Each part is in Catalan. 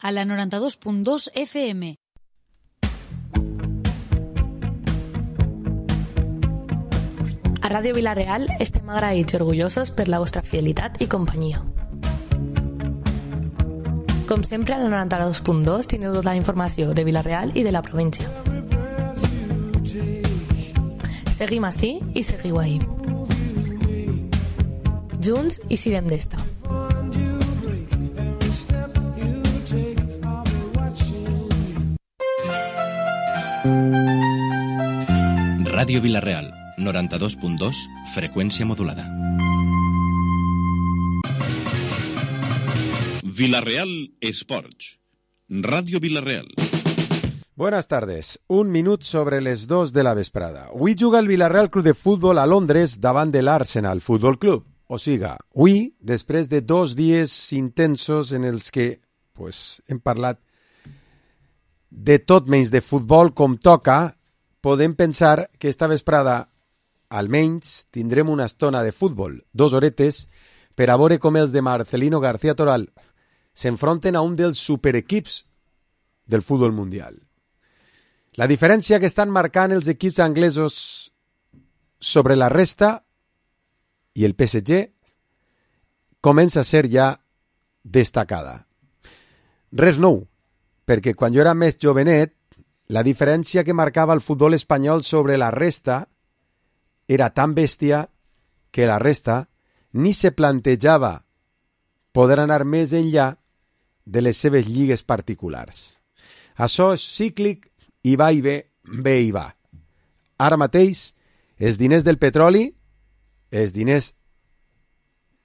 a la 92.2 FM. A Ràdio Vila-real estem agraïts i orgullosos per la vostra fidelitat i companyia. Com sempre, a la 92.2 tindreu tota la informació de Vila-real i de la província. Seguim ací i seguiu ahí. Junts i sirem d'esta. Ràdio Vila-real, 92.2, freqüència modulada. Vila-real Esports. Ràdio Vila-real. Buenas tardes. 1 minut sobre les 2 de la vesprada. Avui juga el Vila-real Club de Futbol a Londres davant de l'Arsenal Futbol Club. O siga, avui, després de 2 dies intensos en els que hem parlat de tot menys de futbol com toca, podem pensar que esta vesprada almenys tindrem una estona de futbol, 2 horetes, per a veure com els de Marcelino García Toral s'enfronten a un dels superequips del futbol mundial. La diferència que estan marcant els equips anglesos sobre la resta i el PSG comença a ser ja destacada. Res nou, perquè quan jo era més jovenet, la diferència que marcava el futbol espanyol sobre la resta era tan bèstia que la resta ni se plantejava poder anar més enllà de les seves lligues particulars. Això és cíclic i va i ve, ve i va. Ara mateix, els diners del petroli, els diners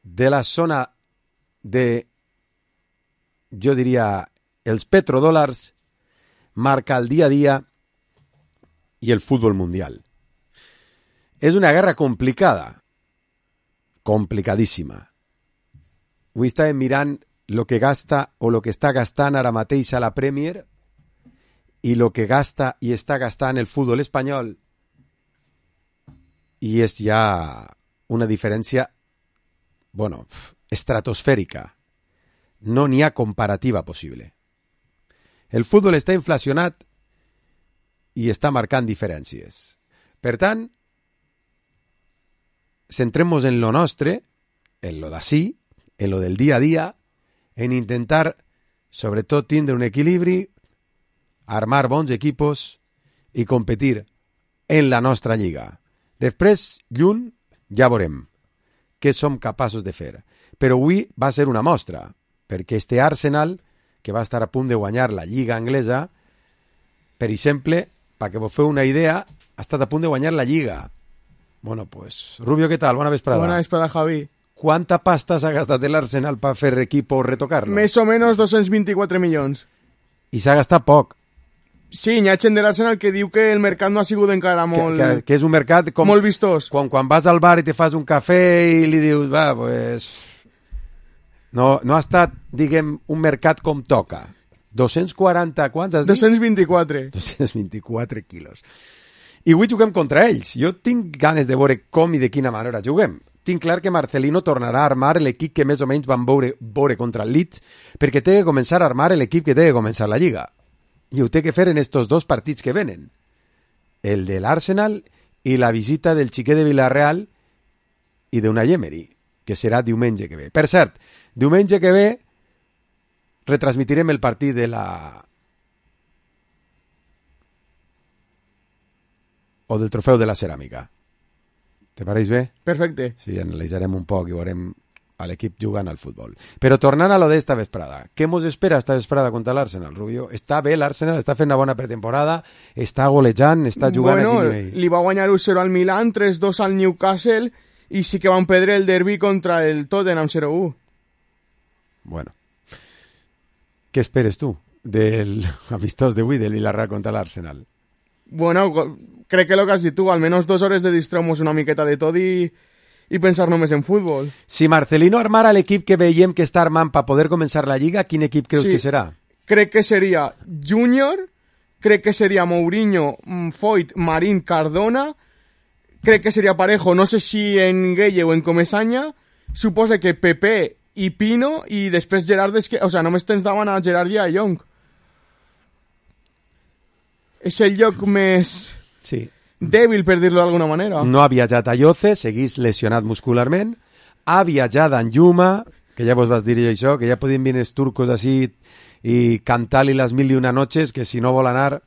de la zona de, jo diria, els petrodòlars, marca el dia a dia i el futbol mundial. És una guerra complicada, complicadíssima. Avui estàvem mirant el que gasta o el que està gastant ara mateix a la Premier i el que gasta i està gastant el futbol espanyol, i és ja una diferència, estratosfèrica. No n'hi ha comparativa possible. El futbol està inflacionat i està marcant diferències. Per tant, centrem-nos en lo nostre, en lo d'ací, en lo del dia a dia, en intentar, sobretot, tindre un equilibri, armar bons equipos i competir en la nostra lliga. Després, lluny, ja veurem què som capaços de fer. Però avui va ser una mostra, perquè este Arsenal, que va estar a punt de guanyar la Lliga Anglesa, per exemple, perquè vos feu una idea, ha estat a punt de guanyar la Lliga. Rubio, què tal? Bona vesprada. Bona vesprada, Javi. ¿Cuánta pasta s'ha gastat l'Arsenal per fer equip o retocar-lo? Més o menys 224 milions. I s'ha gastat poc. Sí, hi ha gent de l'Arsenal que diu que el mercat no ha sigut encara molt... Que és un mercat com... molt vistós. Quan vas al bar i te fas un cafè i li dius, No ha estat, diguem, un mercat com toca. 240, quants has dit? 224. 224 quilos. I avui juguem contra ells. Jo tinc ganes de veure com i de quina manera juguem. Tinc clar que Marcelino tornarà a armar l'equip que més o menys van veure contra el Leeds, perquè té que començar a armar l'equip que té que començar la Lliga. I ho té que fer en estos 2 partits que venen. El de l'Arsenal i la visita del xiquet de Vila-real i d'Unai Emery, que serà diumenge que ve. Per cert, diumenge que ve retransmitirem el partit de la... o del trofeu de la ceràmica. Te pareix bé? Perfecte. Sí, analitzarem un poc i veurem a l'equip jugant al futbol. Però tornant a lo d'esta vesprada, què mos espera esta vesprada contra l'Arsenal, Rubio? Està bé l'Arsenal, està fent una bona pretemporada, està golejant, està jugant a quin nivell? Li va guanyar 1-0 al Milan, 3-2 al Newcastle i sí que van perdre el derbi contra el Tottenham 0-1. Bueno. Què esperes tu del amistós d'avui del Villarreal contra l'Arsenal? Bueno, crec que el que has dit tu, almenys 2 hores de distreure'ns una miqueta de tot i pensar només en futbol. Si Marcelino armara l'equip que veiem que està armant per poder començar la Lliga, quin equip creus que serà? Crec que seria Júnior, crec que seria Mourinho, Foyt, Marín, Cardona, crec que seria Parejo, no sé si en Gueye o en Comesaña, suposa que Pepe i Pino, i després Gerard, només tens davant a Gerard i a Young. És el lloc més dèbil, per dir-lo d'alguna manera. No ha viatjat a Yoce, seguís lesionat muscularment, ha viatjat a Yuma, que ja vos vas dir això, que ja podien venir els turcos així i cantar-li les 1001 noches, que si no vol anar,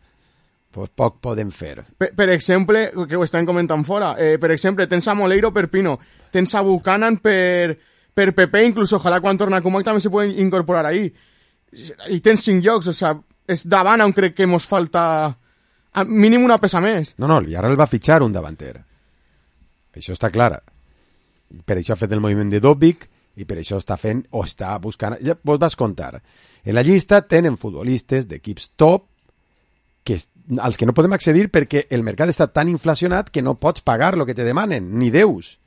pues poc podem fer. Per exemple, que ho estan comentant fora, per exemple, tens a Moleiro per Pino, tens a Buchanan per Pepe, inclús ojalà quan torna a Comac també se poden incorporar ahí. I tens 5 llocs, és davant on crec que mos falta mínim una peça més. No, el Villarreal va fitxar un davanter. Això està clar. Per això ha fet el moviment de Dobbik i per això està fent o està buscant... Ja vos vas contar. En la llista tenen futbolistes d'equips top als que no podem accedir perquè el mercat està tan inflacionat que no pots pagar el que te demanen, ni deus.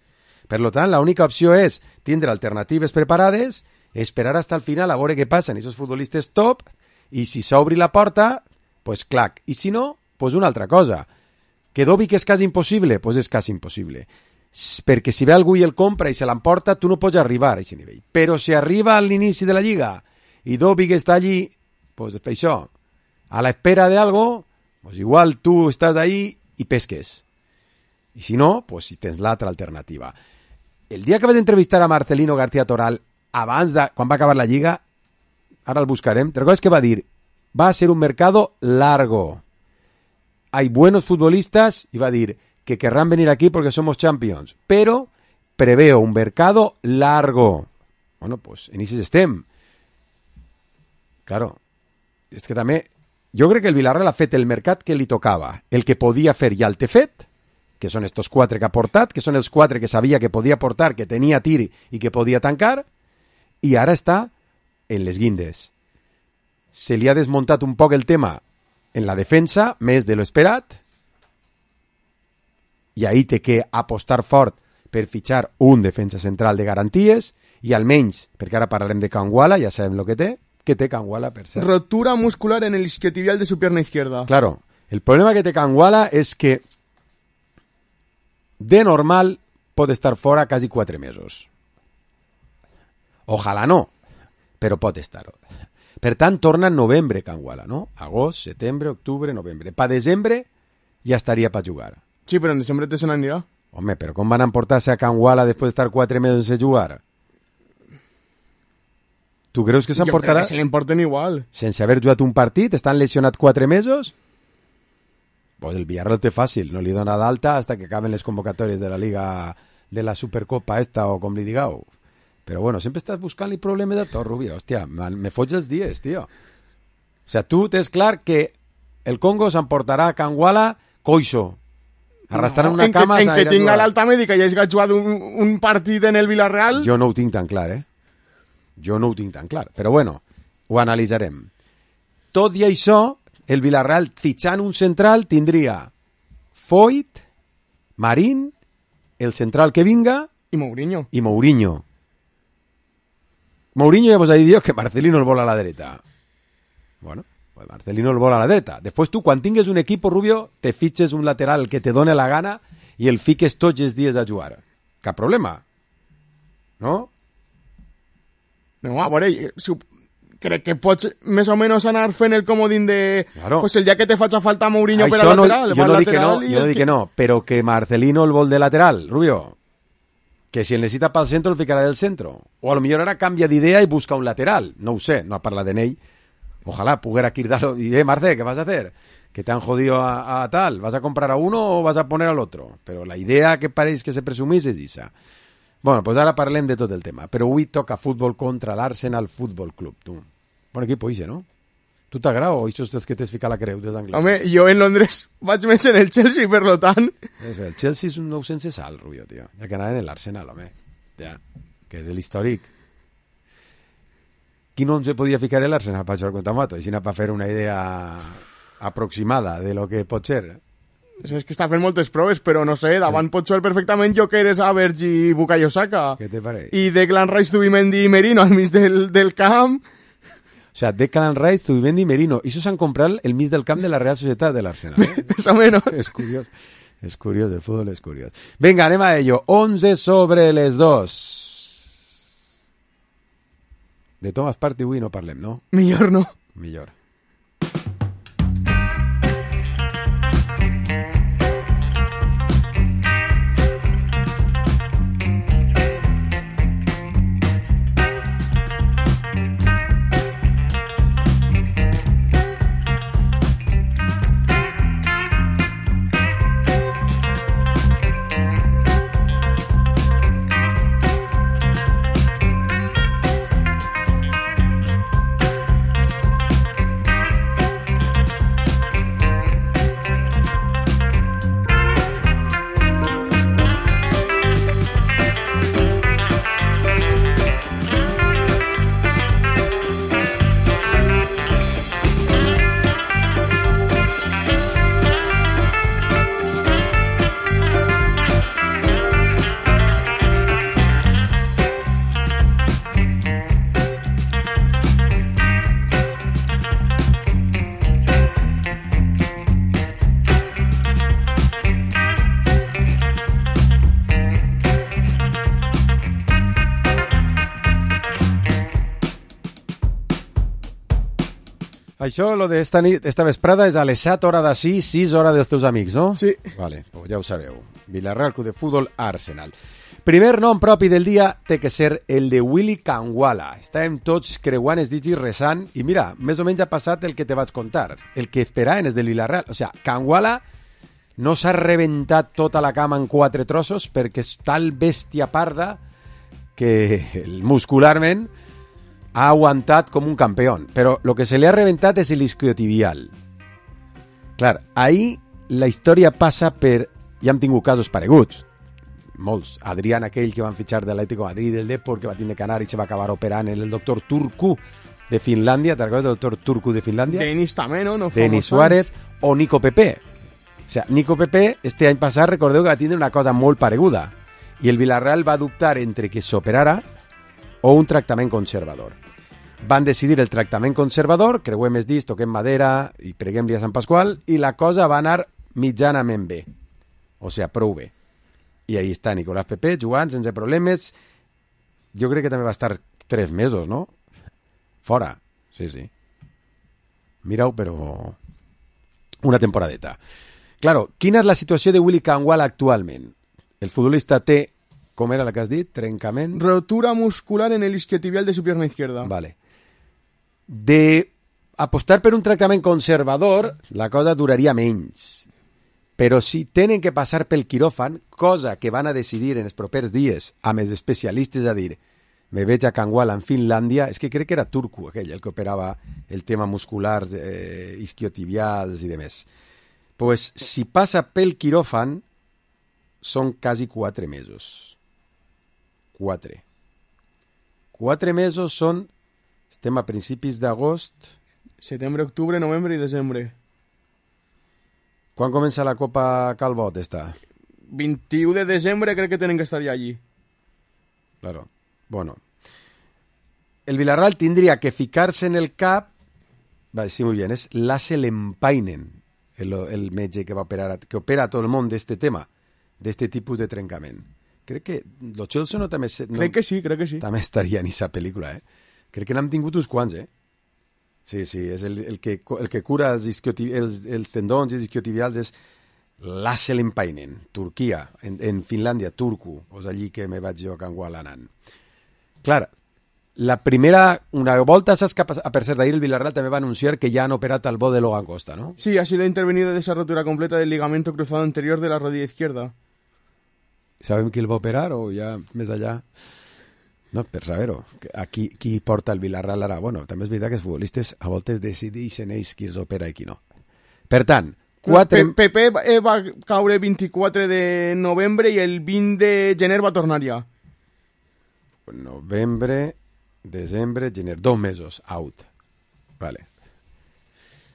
Per tant, l'única opció és tindre alternatives preparades, esperar hasta el final a veure què passa en aquests futbolistes top i si s'obri la porta, pues clac. I si no, pues una altra cosa. Que Dobbik és quasi impossible? Pues és quasi impossible. Perquè si ve algú i el compra i se l'emporta, tu no pots arribar a aquest nivell. Però si arriba a l'inici de la lliga i Dobbik està allí, pues per això, a la espera de algo, pues igual tu estàs ahí i pesques. I si no, pues si tens l'altra alternativa. El dia que vaig entrevistar a Marcelino García Toral abans de, quan va acabar la lliga, ara el buscarem, ¿te recuerdas que va a dir? Va a ser un mercado largo. Hay buenos futbolistas, y va a dir que querrán venir aquí porque somos champions, pero preveo un mercado largo. Bueno, pues en ese estem. Claro, és que també, jo crec que el Villarreal ha fet el mercat que li tocava, el que podia fer ja el té fet, que són estos 4 que ha portat, que són els 4 que sabia que podia portar, que tenia tir i que podia tancar, i ara està en les guindes. Se li ha desmuntat un poc el tema en la defensa, més de lo esperat, i ahí té que apostar fort per fitxar un defensa central de garanties, i almenys, perquè ara parlarem de Kangwala, ja sabem el que té Kangwala per ser. Rotura muscular en el isquiotibial de su pierna izquierda. Claro, el problema que té Kangwala és que de normal pot estar fora quasi 4 mesos. Ojalà no, però pot estar. Per tant, torna en novembre Kangwala, no? Agost, setembre, octubre, novembre. Pa desembre ja estaria per jugar. Sí, però en desembre te se n'anirà. Home, però com van emportar-se a Kangwala després d'estar 4 mesos sense jugar? Tu creus que s'emportarà? Jo crec que se l'emporten igual. Sense haver jugat un partit? Estan lesionat 4 mesos? Pues el Villarreal té fàcil, no li dona d'alta hasta que acaben les convocatòries de la Liga de la Supercopa esta o com li digueu. Però bueno, sempre estàs buscant-li problemes de tot, Rubio. Hòstia, me foig els dies, tio. O sea, tu tens clar que el Congo s'emportarà a Kangwala coixo. Arrastrant una cama... En que tinga l'alta mèdica i hagi jugat un partit en el Villarreal... Jo no ho tinc tan clar, Jo no ho tinc tan clar. Però bueno, ho analitzarem. Tot i això, el Villarreal fitxant un central tindria Foyt, Marín, el central que vinga... I Mourinho. Mourinho ja vos ha dit que Marcelino el vol a la dreta. Bueno, pues Marcelino el vol a la dreta. Després tu, quan tingues un equip, Rubio, te fitxes un lateral que te done la gana i el fiques tots els dies a jugar. Cap problema. No? No, a veure, crec que pots més o menys anar fent el comodín de... Claro. Pues el dia que te faci falta Mourinho això per a lateral, jo no dic que no, però que Marcelino el vol de lateral, Rubio, que si el necessita pel centre el ficarà del centro. O a lo millor ara canvia d'idea i busca un lateral. No ho sé, no ha parlat en ell. Ojalá pudiera quitarlo. Y, Marce, ¿qué vas a hacer? Que te han jodido a tal. ¿Vas a comprar a uno o vas a poner al otro? Pero la idea que pareix que se presumís és esa. Bueno, pues ara parlem de tot el tema. Però avui toca futbol contra l'Arsenal Futbol Club. Tu. Bon equip, oixe, no? Tu t'agrada o això és que t'has ficat la creu des d'Anglaterra? Home, jo en Londres vaig més en el Chelsea, per lo tant... El Chelsea és un nou sense sal, Rubio, tio. Ja que anaven en l'Arsenal, home. Ja, que és l'històric. Qui no se podia ficar en l'Arsenal per jugar contra Mato? Així per fer una idea aproximada de lo que pot ser. És que està fent moltes proves, però no sé, davant pot jugar perfectament Jokeres, Havertz i Bukayo Saka. Què te pareix? I Declan Rice, Zubimendi i Merino al mig del camp... O sea, Declan Rice, Zubimendi y Merino. Y eso se han comprado el mis del camp de la Real Sociedad del Arsenal. Más o menos. Es curioso. Es curioso, el fútbol es curioso. Venga, anem a ello. 11 sobre les 2. De Thomas Partey avui no parlem, no? Millor no. Millor. Això, lo de esta vesprada, és a les 7 hora d'ací, 6 hora dels teus amics, no? Sí. Vale, pues ja ho sabeu. Villarreal, Club de Futbol, Arsenal. Primer nom propi del dia té que ser el de Willy Kangwala. Estàvem tots creuant els dits i resant, i mira, més o menys ha passat el que te vaig contar, el que esperaven els del Villarreal. O sea, Kangwala no s'ha rebentat tota la cama en 4 trossos perquè és tal bèstia parda que muscularment ha aguantat com un campió, però el que se li ha reventat és l'isquiotibial. Clar, ahir la història passa per... Ja hem tingut casos pareguts, molts. Adrián, aquell que van fitxar de l'Atlético de Madrid, del Depor, que va tindre canar i se va acabar operant, el doctor Turku de Finlàndia, ¿te acuerdas del doctor Turku de Finlàndia? Denis també, no? Denis Suárez o Nico Pepe. O sea, Nico Pepe, este any passat, recordeu que va tindre una cosa molt pareguda, i el Villarreal va dubtar entre que s'operara o un tractament conservador. Van decidir el tractament conservador, creuem els dits, toquem madera i preguem-li a Sant Pasqual, i la cosa va anar mitjanament bé. O sigui, prou bé. I ahí està Nicolás Pepe jugant sense problemes. Jo crec que també va estar 3 mesos, no? Fora. Sí, sí. Mireu, però... una temporadeta. Claro, quina és la situació de Willy Kangwala actualment? El futbolista té, com era la que has dit? Trencament? Rotura muscular en el isquiotibial de su pierna izquierda. Vale. De apostar per un tractament conservador, la cosa duraria menys. Però si tenen que passar pel quiròfan, cosa que van a decidir en els propers dies amb els especialistes a dir me veig a Kangwala en Finlàndia, és que crec que era Turku aquell, el que operava el tema musculars, isquiotibials i demés. Pues si passa pel quiròfan, són quasi 4 mesos. 4. 4 mesos són... Estem a principis d'agost. Setembre, octubre, novembre i desembre. Quan comença la Copa Calbot, esta? 21 de desembre crec que tenen que estar ja allí. Claro. Bueno. El Villarreal tindria que ficar-se en el cap... Vale, sí, muy bien. És Lasse Lempainen, el metge que va operar, que opera a tot el món d'este tema, d'este tipus de trencament. Crec que lo Chelsea no també... No, crec que sí. També estaria en aquesta pel·lícula, Crec que n'hem tingut uns quants, Sí, és el que cura els tendons i els isquiotibials és Lasse Lempainen, Turquia, en Finlàndia, Turku, és allí que me vaig jo a Kangwala anant. Clar, la primera, una volta, saps que per cert, ahir el Villarreal també va anunciar que ja han operat al bo de Logan Costa, ¿no? Sí, ha sido intervenido de esa rotura completa del ligamento cruzado anterior de la rodilla izquierda. ¿Sabem qui el va operar o ja més allà? No, per saber-ho. Aquí qui porta el Villarreal ara? Bueno, també és veritat que els futbolistes a voltes decideixen ells qui els opera i qui no. Per tant, 4... Pepe va caure el 24 de novembre i el 20 de gener va tornar ja. Novembre, desembre, gener, 2 mesos, out. Vale.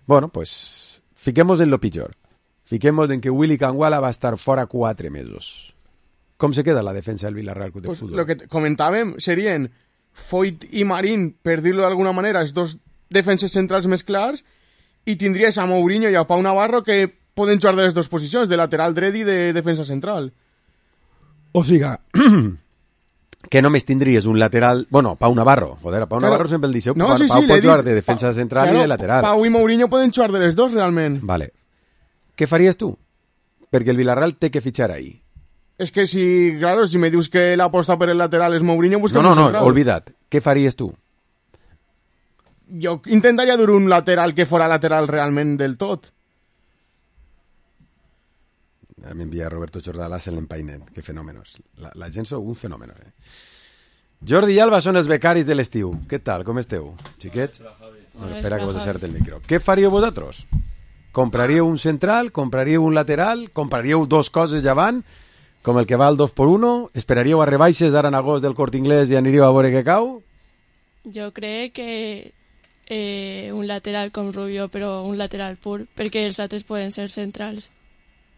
Bueno, pues fiquemos en lo pitjor. Fiquemos en que Willy Kangwala va estar fora 4 mesos. Com se queda la defensa del Villarreal Club de Futbol? Lo que comentàvem serien Foyt i Marín, per dir-lo d'alguna manera, els dos defenses centrals més clars, i tindries a Mourinho i a Pau Navarro que poden jugar de les dues posicions, de lateral dret i de defensa central. O sigui, Que només tindries un lateral... Bueno, Pau Navarro. Joder, Pau Navarro sempre el deixeu. No, Pau sí, pot jugar de defensa central i de lateral. Pau i Mourinho poden jugar de les dos, realment. Vale. Què faries tu? Perquè el Villarreal té que fitxar ahí. Es que si me dius que la aposta per el lateral és Mourinho, busquem un central. No, olvida't. Què faries tu? Jo intentaria dur un lateral que fora lateral realment del tot. M'envia Roberto Jordalàs en l'empainet. Que fenòmenos. La gent sou un fenòmeno. Jordi i Alba són els becaris de l'estiu. Què tal? Com esteu, xiquets? Bueno, espera que vos deixar-te el micro. Què faríeu vosaltres? Compraríeu un central? Compraríeu un lateral? Compraríeu dos coses davant? Com el que va al 2x1? Esperaríeu a rebaixes ara en agost del Corte Inglés i aniríeu a veure què cau? Jo crec que un lateral com Rubio, però un lateral pur, perquè els altres poden ser centrals.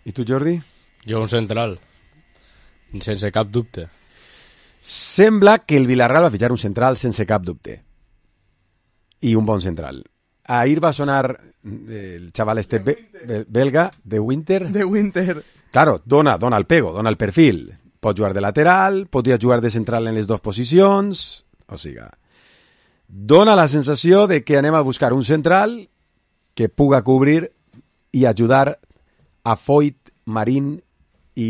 I tu, Jordi? Jo un central, sense cap dubte. Sembla que el Villarreal va fitxar un central sense cap dubte. I un bon central. Ahir va sonar el xaval este belga, de Winter. De Winter. Claro, dona el pego, dona el perfil. Pot jugar de lateral, podria jugar de central en les dues posicions. O sigui, dona la sensació de que anem a buscar un central que puga cobrir i ajudar a Foyt, Marín i...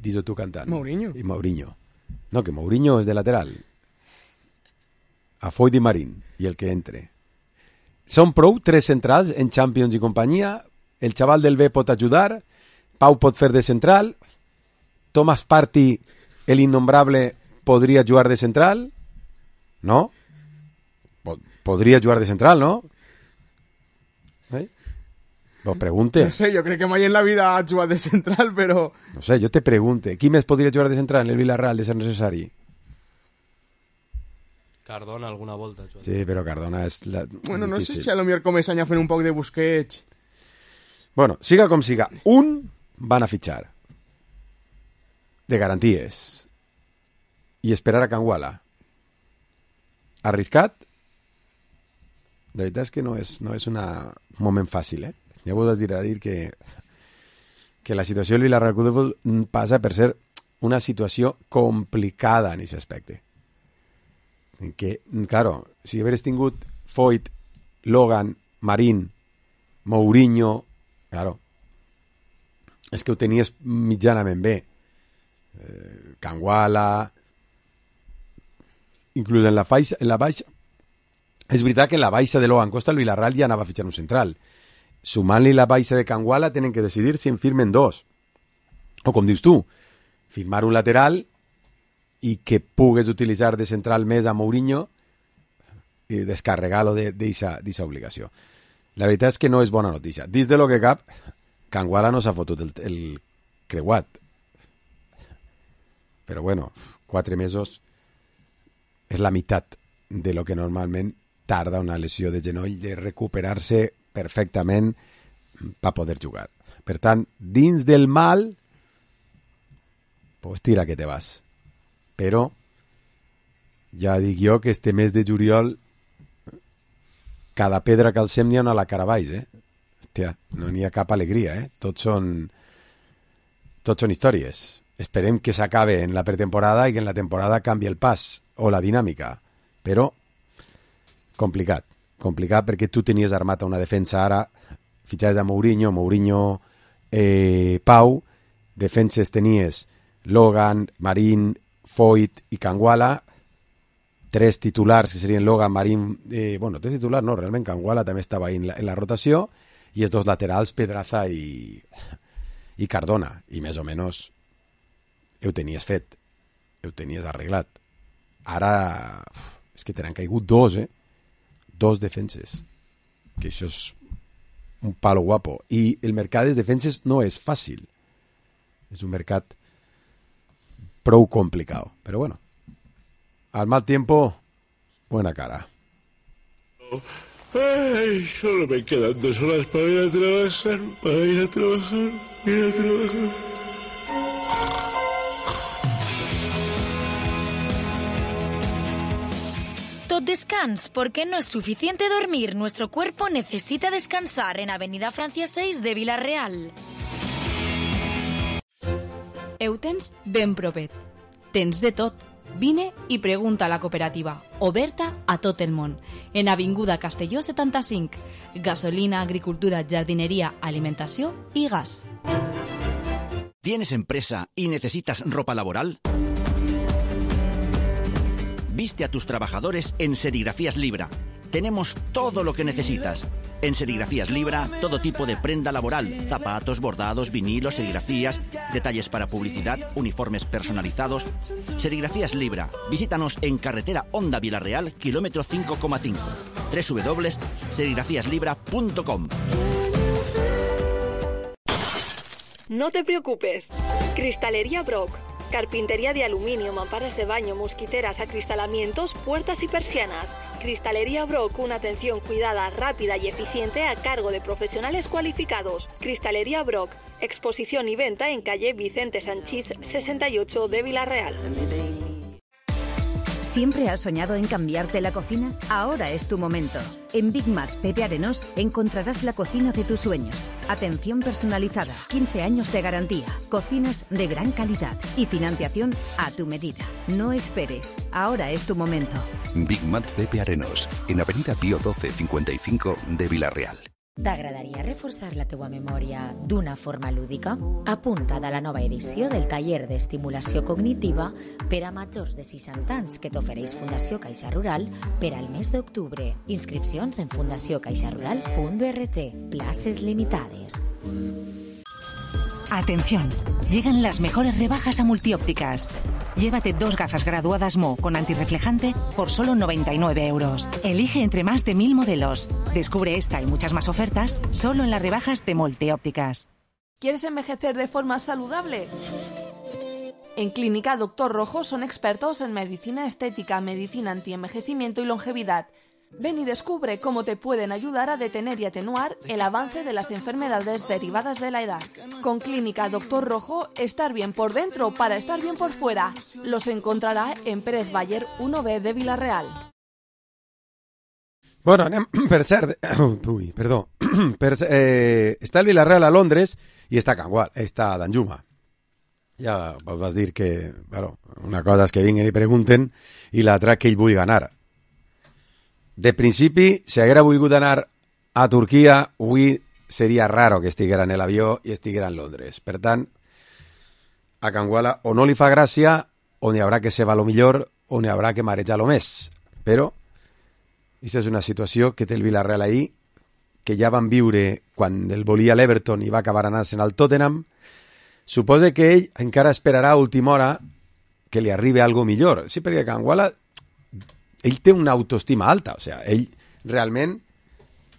Dis-ho tu cantant. Mourinho. I Mourinho. No, que Mourinho és de lateral. A Foyt i Marín, i el que entre. Són prou 3 centrals en Champions i companyia. El xaval del B pot ajudar. Pau pot fer de central. Thomas Partey, el innombrable, podria jugar de central. No? Podria jugar de central, no? Vos pregunte. No sé, jo crec que mai en la vida ha jugat de central, però... No sé, jo te pregunte. Qui més podria jugar de central en el Villarreal de ser necessari? Cardona alguna volta. Sí, però Cardona és... Bueno, no sé si a lo millor començan a fer un poc de Busquets. Bueno, siga com siga. Un van a fitxar. De garanties. I esperar a Canguala. Arriscat? La veritat és que no és un moment fàcil, Ja vos has dir que la situació del Villarreal Club de Futbol passa per ser una situació complicada en aquest aspecte. En que, claro, si hagués tingut Foyt, Logan, Marín, Mourinho, claro, és que ho tenies mitjanament bé. Canguala, inclús en la baixa. És veritat que en la baixa de Logan Costa el Villarreal ja anava a fitxar un central. Sumant-li la baixa de Canguala tenen que decidir si en firmen dos. O com dius tu, firmar un lateral i que pugues utilitzar de central més a Mourinho i descarregar-lo d'aquesta obligació. La veritat és que no és bona notícia. Dins de lo que cap, Canguala no s'ha fotut el creuat. Però bueno, 4 mesos és la meitat de lo que normalment tarda una lesió de genoll de recuperar-se perfectament per poder jugar. Per tant, dins del mal, pues tira que te vas. Però ja dic jo que este mes de juliol cada pedra que alcem n'hi ha una a la cara baix, Hòstia, no n'hi ha cap alegria, Tots són històries. Esperem que s'acabe en la pretemporada i que en la temporada canvi el pas o la dinàmica. Però complicat perquè tu tenies armat una defensa ara, fitxaves a Mourinho, Pau, defenses tenies Logan, Marín, Foyt i Canguala, 3 titulars que serien Logan, Marín, 3 titulars no, realment Canguala també estava en la rotació, i els 2 laterals Pedraza i Cardona, i més o menys ho tenies fet, ho tenies arreglat. Ara és que t'han caigut 2, 2 defenses, que això és un palo guapo, i el mercat de defenses no és fàcil, és un mercat prou complicat, però bueno, al mal tiempo buena cara. Ay, solo me quedan 2 horas para ir a trabajar, Tot descans, porque no es suficiente dormir. Nuestro cuerpo necesita descansar en Avenida Francia 6 de Villarreal. Ho tens ben propet. Tens de tot. Vine i pregunta a la cooperativa, oberta a tot el món. En Avinguda Castelló 75. Gasolina, agricultura, jardinería, alimentació i gas. ¿Tienes empresa y necesitas ropa laboral? Viste a tus trabajadores en Serigrafías Libra. Tenemos todo lo que necesitas. En Serigrafías Libra, todo tipo de prenda laboral, zapatos, bordados, vinilos, serigrafías, detalles para publicidad, uniformes personalizados. Serigrafías Libra. Visítanos en carretera Honda Vilarreal, kilómetro 5,5. www.serigrafiaslibra.com. No te preocupes. Cristalería Brock. Carpintería de aluminio, mamparas de baño, mosquiteras, acristalamientos, puertas y persianas. Cristalería Brock, una atención cuidada, rápida y eficiente a cargo de profesionales cualificados. Cristalería Brock, exposición y venta en calle Vicente Sanchís 68 de Vilarreal. ¿Siempre has soñado en cambiarte la cocina? Ahora es tu momento. En Big Mac Pepe Arenós encontrarás la cocina de tus sueños. Atención personalizada, 15 años de garantía, cocinas de gran calidad y financiación a tu medida. No esperes, ahora es tu momento. Big Mac Pepe Arenós, en Avenida Pío 12 55 de Vilarreal. T'agradaria reforçar la teua memòria d'una forma lúdica? Apunta't a la nova edició del taller d'estimulació cognitiva per a majors de 60 anys que t'ofereix Fundació Caixa Rural per al mes d'octubre. Inscripcions en fundaciocaixarural.org. Places limitades. Atención, llegan las mejores rebajas a Multiópticas. Llévate 2 gafas graduadas Mo con antirreflejante por solo 99 euros. Elige entre más de 1000 modelos. Descubre esta y muchas más ofertas solo en las rebajas de Multiópticas. ¿Quieres envejecer de forma saludable? En Clínica Doctor Rojo son expertos en medicina estética, medicina antienvejecimiento y longevidad. Ven y descubre cómo te pueden ayudar a detener y atenuar el avance de las enfermedades derivadas de la edad. Con Clínica Doctor Rojo, estar bien por dentro para estar bien por fuera. Los encontrará en Pérez Baller 1B de Vilarreal. Bueno, anem per cert... Ui, perdó. Està el Vilarreal a Londres i està Can Gual, està Danjuma. Ja vos vas dir que, bueno, una cosa és que vinguen i pregunten i l'altra que ell vull ganar. De principi, si haguera volgut anar a Turquia, avui seria raro que estiguera en l'avió i estiguera en Londres. Per tant, a Can Guala o no li fa gràcia, o n'hi haurà que se va lo millor, o n'hi haurà que marejar lo més. Però, aquesta és una situació que té el Vilarreal ahir, que ja van viure quan el volia l'Everton i va acabar anant-se'n al Tottenham. Suposa que ell encara esperarà a última hora que li arribi algo millor. Sí, perquè Can Guala... ell té una autoestima alta, o sea, ell realment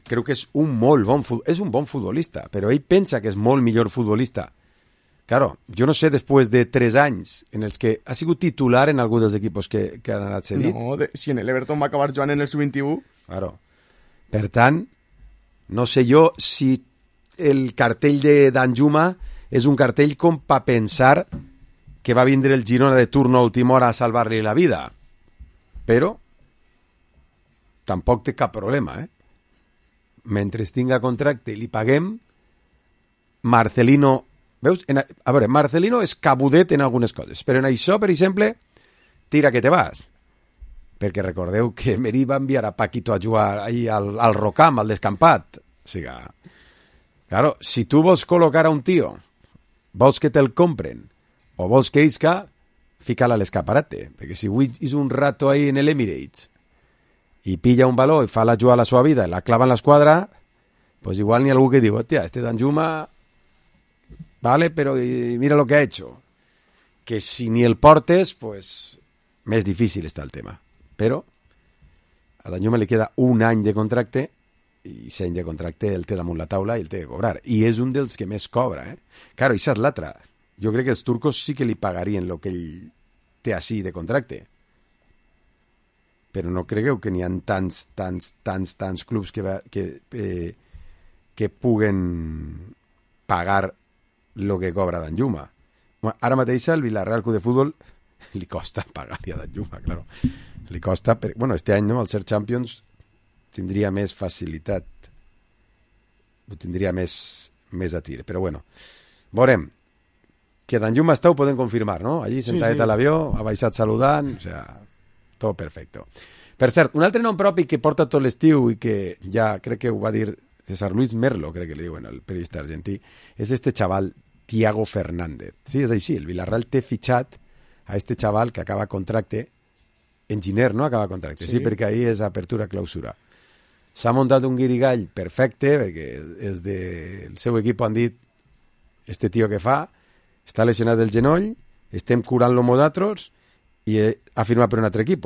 creu que és un molt bon és un bon futbolista, però ell pensa que és molt millor futbolista. Claro, jo no sé, després de 3 anys en els que ha sigut titular en algun dels equipos que han anat cedit. No, si en l'Everton va acabar jugant en el sub-21. Claro. Per tant, no sé jo si el cartell de Danjuma és un cartell com per pensar que va vindre el Girona de turno a última hora a salvar-li la vida. Però tampoc té cap problema, Mentre tinga contracte i li paguem, Marcelino... Veus? A veure, Marcelino és cabudet en algunes coses, però en això, per exemple, tira que te vas. Perquè recordeu que Meri va enviar a Paquito a jugar ahí al Rocam, al descampat. O sigui, claro, si tu vols col·locar a un tio, vols que te'l compren, o vols que isca, fica-la a l'escaparate. Perquè si avui és un rato ahí en l'Emirates i pilla un baló i fa la jugar a la seva vida i la clava en l'esquadra, pues igual n'hi ha algú que diu, hòstia, este Danjuma, vale, pero mira lo que ha hecho. Que si ni el portes, pues més difícil està el tema. Però a Danjuma li queda un any de contracte i 100 any de contracte el té damunt la taula i el té que cobrar. I és un dels que més cobra, Claro, això és l'altra. Jo crec que els turcos sí que li pagarien el que ell té així de contracte. Però no cregueu que n'hi ha tants clubs que puguen pagar el que cobra Danjuma. Bueno, ara mateix al Vilarreal Club de Futbol li costa pagar-li a Danjuma, claro. Li costa... Bueno, este any, no?, al ser Champions tindria més facilitat. Ho tindria més a tir. Però bueno, veurem. que tan llum esteu poden confirmar, no? Allí sentadet a l'avió, ha baixat saludant, o sea, tot perfecto. Per cert, un altre nom propi que porta tot l'estiu i que ja crec que ho va dir César Luis Merlo, crec que li diuen, el periodista argentí, és este xaval Thiago Fernández. Sí, és així, el Villarreal té fitxat a este xaval que acaba contracte, enginyer, no? Acaba contracte, sí, perquè ahí és apertura-clausura. S'ha muntat un guirigall perfecte, perquè és del seu equip han dit este tio que fa, està lesionat del genoll, estem curant-lo nosaltres i ha firmat per un altre equip.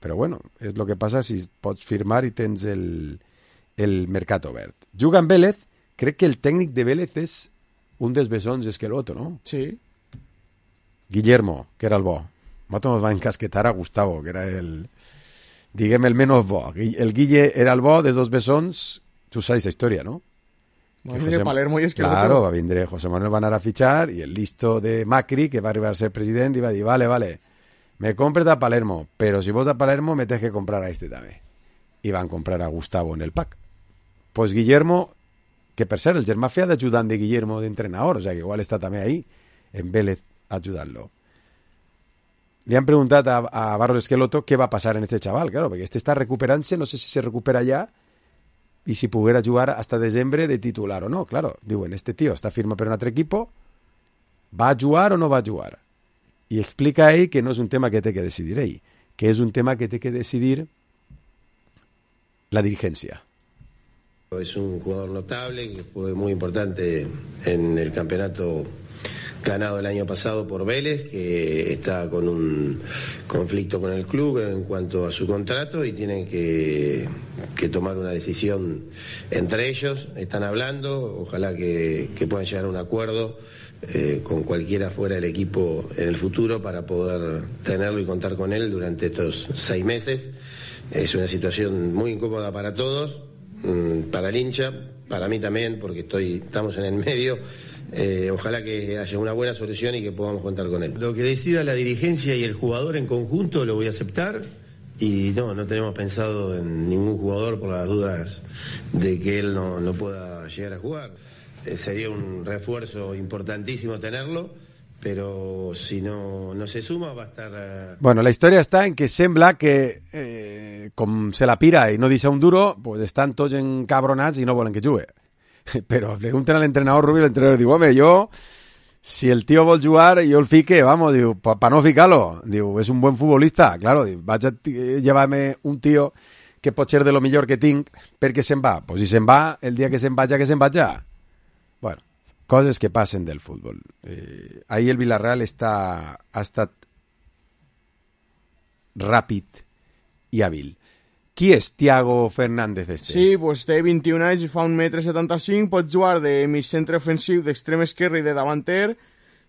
Però bueno, és el que passa si pots firmar i tens el mercat obert. Juga amb Vélez, crec que el tècnic de Vélez és un dels bessons Esqueloto, no? Sí. Guillermo, que era el bo. Nosaltres ens va encasquetar a Gustavo, que era el menos bo. El Guille era el bo dels dos bessons, tu saps la història, no? Va vindre Palermo i Esqueloto. Claro, va vindre José Manuel va anar a fichar i el listo de Macri, que va arribar a ser president, i va dir, vale, me compres a Palermo, pero si vos a Palermo me tienes que comprar a este també. I van comprar a Gustavo en el pack. Pues Guillermo, que per cert, el germà feia d'ajudant de Guillermo d'entrenador, o sea que igual està també ahí, en Vélez, ajudant-lo. Li han preguntat a Barros Esqueloto què va passar en este chaval, claro, perquè este està recuperant-se, no sé si se recupera ja, i si poguera jugar hasta desembre de titular o no. Claro, diuen, este tío està firma per un altre equipo, va a jugar o no va a jugar? I explica ell que no és un tema que té que decidir ell, que és un tema que té que decidir la dirigencia. Es un jugador notable que fue muy importante en el campeonato ganado el año pasado por Vélez, que está con un conflicto con el club en cuanto a su contrato y tienen que tomar una decisión entre ellos. Están hablando, ojalá que puedan llegar a un acuerdo con cualquiera fuera del equipo en el futuro para poder tenerlo y contar con él durante estos 6 meses. Es una situación muy incómoda para todos, para el hincha, para mí también, porque estamos en el medio. Ojalá que haya una buena solución y que podamos contar con él. Lo que decida la dirigencia y el jugador en conjunto lo voy a aceptar y no tenemos pensado en ningún jugador por las dudas de que él no pueda llegar a jugar. Sería un refuerzo importantísimo tenerlo, pero si no se suma va a estar... Bueno, la història està en que sembla que com se la pira i no deixa un duro, pues estan tots encabronats i no volen que jugui. Però pregunten a l'entrenador Rubio, l'entrenador diu, home, jo, si el tío vol jugar, jo el fique, vamos, diu, pa no ficar-lo. Diu, és un buen futbolista. Claro, diu, vaig a llevar-me un tío que pot ser de lo millor que tinc perquè se'n va. Pues si se'n va, el dia que se'n vaja, que se'n vaja. Bueno, coses que passen del futbol. Ahir el Villarreal ha estat ràpid i hàbil. Qui és Thiago Fernández este? Sí, pues té 21 anys i fa 1,75 m, pot jugar de mig centre ofensiu, d'extrem esquerre i de davanter.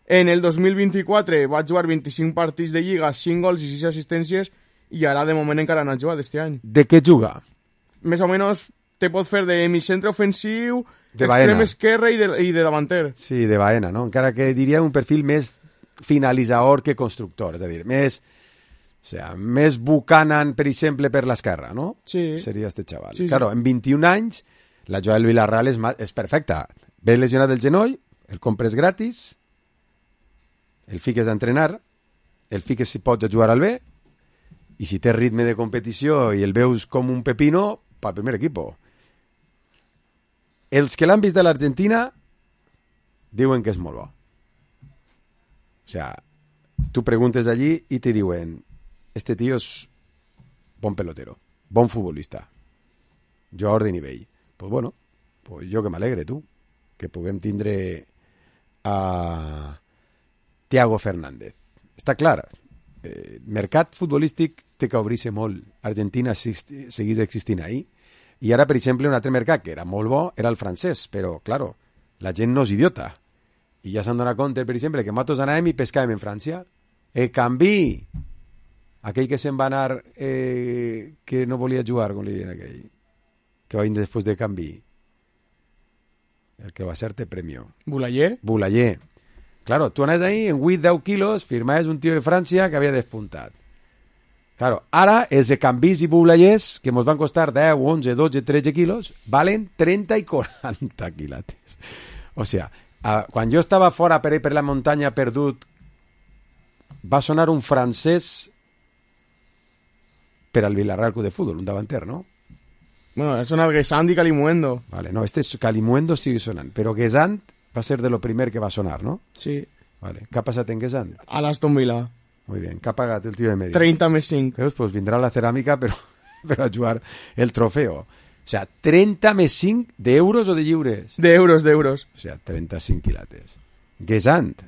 En el 2024 va jugar 25 partits de Lliga, 5 gols i 6 assistències, i ara de moment encara no ha jugat este any. De què juga? Més o menys te pot fer de mig centre ofensiu, d'extrem esquerre i de davanter. Sí, de Baena, no? Encara que diria un perfil més finalitzador que constructor, és a dir, més Buchanan, per exemple, per l'esquerra, no? Sí. Seria este xaval. Sí, claro, en 21 anys, la jugada del Villarreal és perfecta. Ve lesionat del genoll, el compres gratis, el fiques a entrenar, el fiques si pots a jugar al B, i si té ritme de competició i el veus com un pepino, pel primer equip. Els que l'han vist de l'Argentina diuen que és molt bo. O sea, tu preguntes allí i te diuen este tío es bon pelotero, bon futbolista, jugador de nivell. Pues bueno, pues jo que m'alegre, tu, que puguem tindre a Thiago Fernández. Està clar, mercat futbolístic té que obrir-se molt. Argentina segueix existint ahí. I ara, per exemple, un altre mercat que era molt bo era el francès, però, claro, la gent no és idiota. I ja s'han donat compte, per exemple, que nosaltres anàvem i pescàvem en França. Canvi! Aquell que se'n va anar, que no volia jugar, com li diuen aquell, que va venir després de Canvi. El que va ser-te premio. Boulayer? Boulayer. Claro, tu anaves ahí en 8-10 quilos, firmaves un tio de França que havia despuntat. Claro, ara els de Canvis i Boulayers, que ens van costar 10, 11, 12, 13 quilos, valen 30 i 40 quilates. O sea, Quan jo estava fora per la muntanya perdut, va sonar un francès per al Villarreal Club de Fútbol, un davanter, ¿no? Bueno, sona Guessant i Calimuendo. Vale, no, Calimuendo sigue sonant, però Guessant va ser de lo primer que va sonar, ¿no? Sí. Vale. ¿Qué ha passat en Guessant? A l'Aston Villa. Muy bien. ¿Qué ha pagat el tío de medio? 30 més 5. Veus? Pues vindrà la ceràmica per a jugar el trofeo. O sea, 30 més 5 d'euros o de lliures? D'euros. O sea, 35 quilates. Guessant.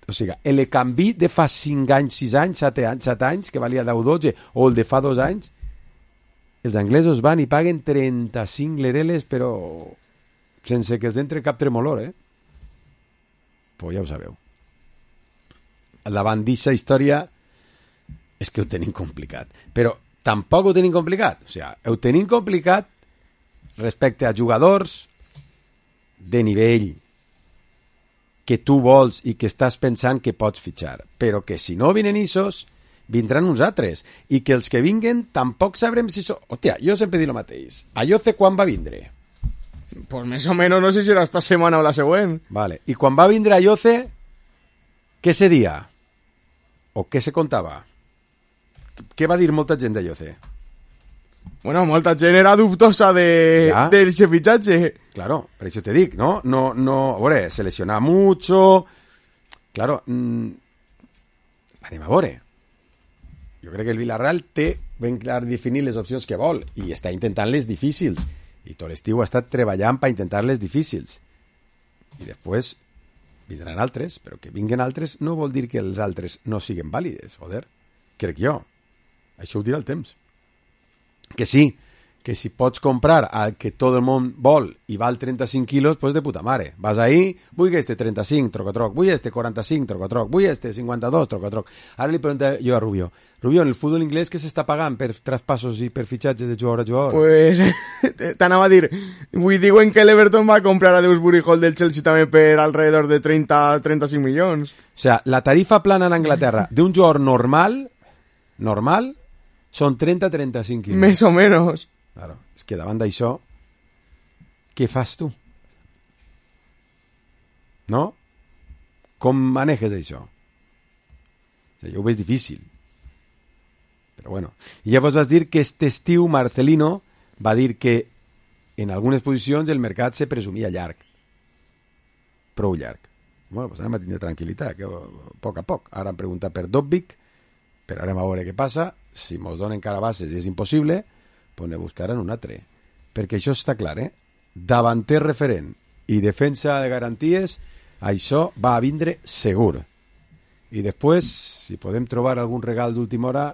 O sigui, el canvi de fa 5 anys, 6 anys, 7 anys, que valia 10 o 12, o el de fa 2 anys, els anglesos van i paguen 35 lereles, però sense que els entre cap tremolor, Pues ja ho sabeu. Davant d'aquesta història és que ho tenim complicat. Però tampoc ho tenim complicat. O sigui, ho tenim complicat respecte a jugadors de nivell que tu vols i que estàs pensant que pots fitxar. Però que si no vinen issos, vindran uns altres. I que els que vinguen tampoc sabrem si són... Hòstia, jo sempre dic el mateix. Ayoce quan va vindre? Pues més o menos no sé si era esta setmana o la següent. Vale. I quan va vindre Ayoce, què se dia? O què se contava? Què va dir molta gent d'Ayoce? Bueno, molta gent era dubtosa del fitxatge. Claro, per això te dic, no? No, a veure, se lesiona mucho. Claro, anem a veure. Jo crec que el Villarreal té ben clar definir les opcions que vol i està intentant les difícils. I tot l'estiu ha estat treballant per intentar les difícils. I després vindran altres, però que vinguen altres no vol dir que els altres no siguin vàlides, joder. Crec jo. Això ho dirà el temps. Que sí, que si pots comprar el que tot el món vol i val 35 quilos, pues de puta mare. Vas ahí, vull este 35, troc, vull este 45, troc, vull este 52, troc. Ara li pregunto jo a Rubio, en el futbol inglès què s'està pagant per traspassos i per fitxatges de jugador a jugador? Pues, t'anava a dir, diuen que l'Everton va comprar a Dewsbury Hall del Chelsea també per alrededor de 30-35 milions. O sea, la tarifa plana en Anglaterra d'un jugador normal, són 30-35 quilos. Més o menys. Claro, és que davant d'això, què fas tu? No? Com maneges això? O sigui, jo ho veig difícil. Però bueno. I llavors vas dir que este estiu Marcelino va dir que en algunes posicions el mercat se presumia llarg. Prou llarg. Bueno, doncs anem a tindre tranquil·litat, que a poc. Ara han preguntat per Dobbik, però ara a veure què passa. Si mos donen carabases i és impossible, pues ne buscaran un altre. Perquè això està clar, davanter referent i defensa de garanties, això va a vindre segur. I després, si podem trobar algun regal d'última hora,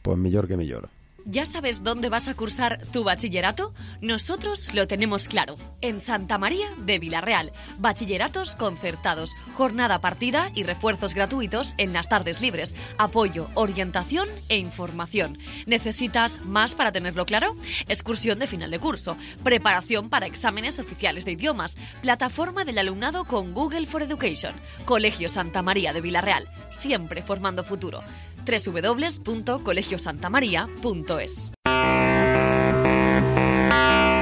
pues millor que millor. ¿Ya sabes dónde vas a cursar tu bachillerato? Nosotros lo tenemos claro. En Santa María de Villarreal. Bachilleratos concertados, jornada partida y refuerzos gratuitos en las tardes libres. Apoyo, orientación e información. ¿Necesitas más para tenerlo claro? Excursión de final de curso. Preparación para exámenes oficiales de idiomas. Plataforma del alumnado con Google for Education. Colegio Santa María de Villarreal. Siempre formando futuro. www.colegiosantamaria.es.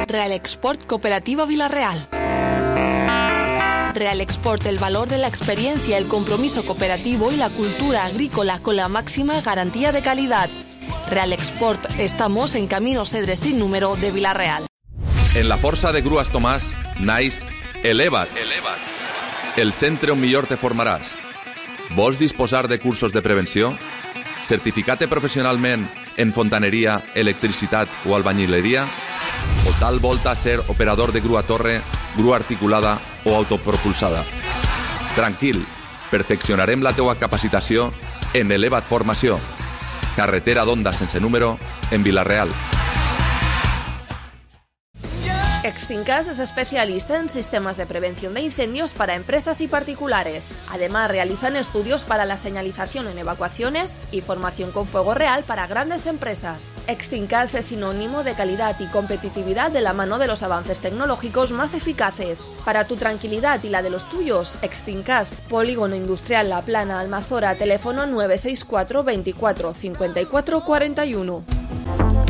Real Export Cooperativa Villarreal. Real Export, el valor de la experiencia, el compromiso cooperativo y la cultura agrícola con la máxima garantía de calidad. Real Export, estamos en Camino Cedres sin número de Villarreal. En la Força de Grues Tomàs, naix Eleva't. El centre on millor te formaràs. Vols disposar de cursos de prevenció? Certificate professionalment en fontaneria, electricitat o albañileria? O tal volta ser operador de grua torre, grua articulada o autopropulsada? Tranquil, perfeccionarem la teua capacitació en Eleva't Formació. Carretera d'Onda sense número en Villarreal. Extincas es especialista en sistemas de prevención de incendios para empresas y particulares. Además, realizan estudios para la señalización en evacuaciones y formación con fuego real para grandes empresas. Extincas es sinónimo de calidad y competitividad de la mano de los avances tecnológicos más eficaces. Para tu tranquilidad y la de los tuyos, Extincas, Polígono Industrial La Plana, Almazora, teléfono 964 24 54 41.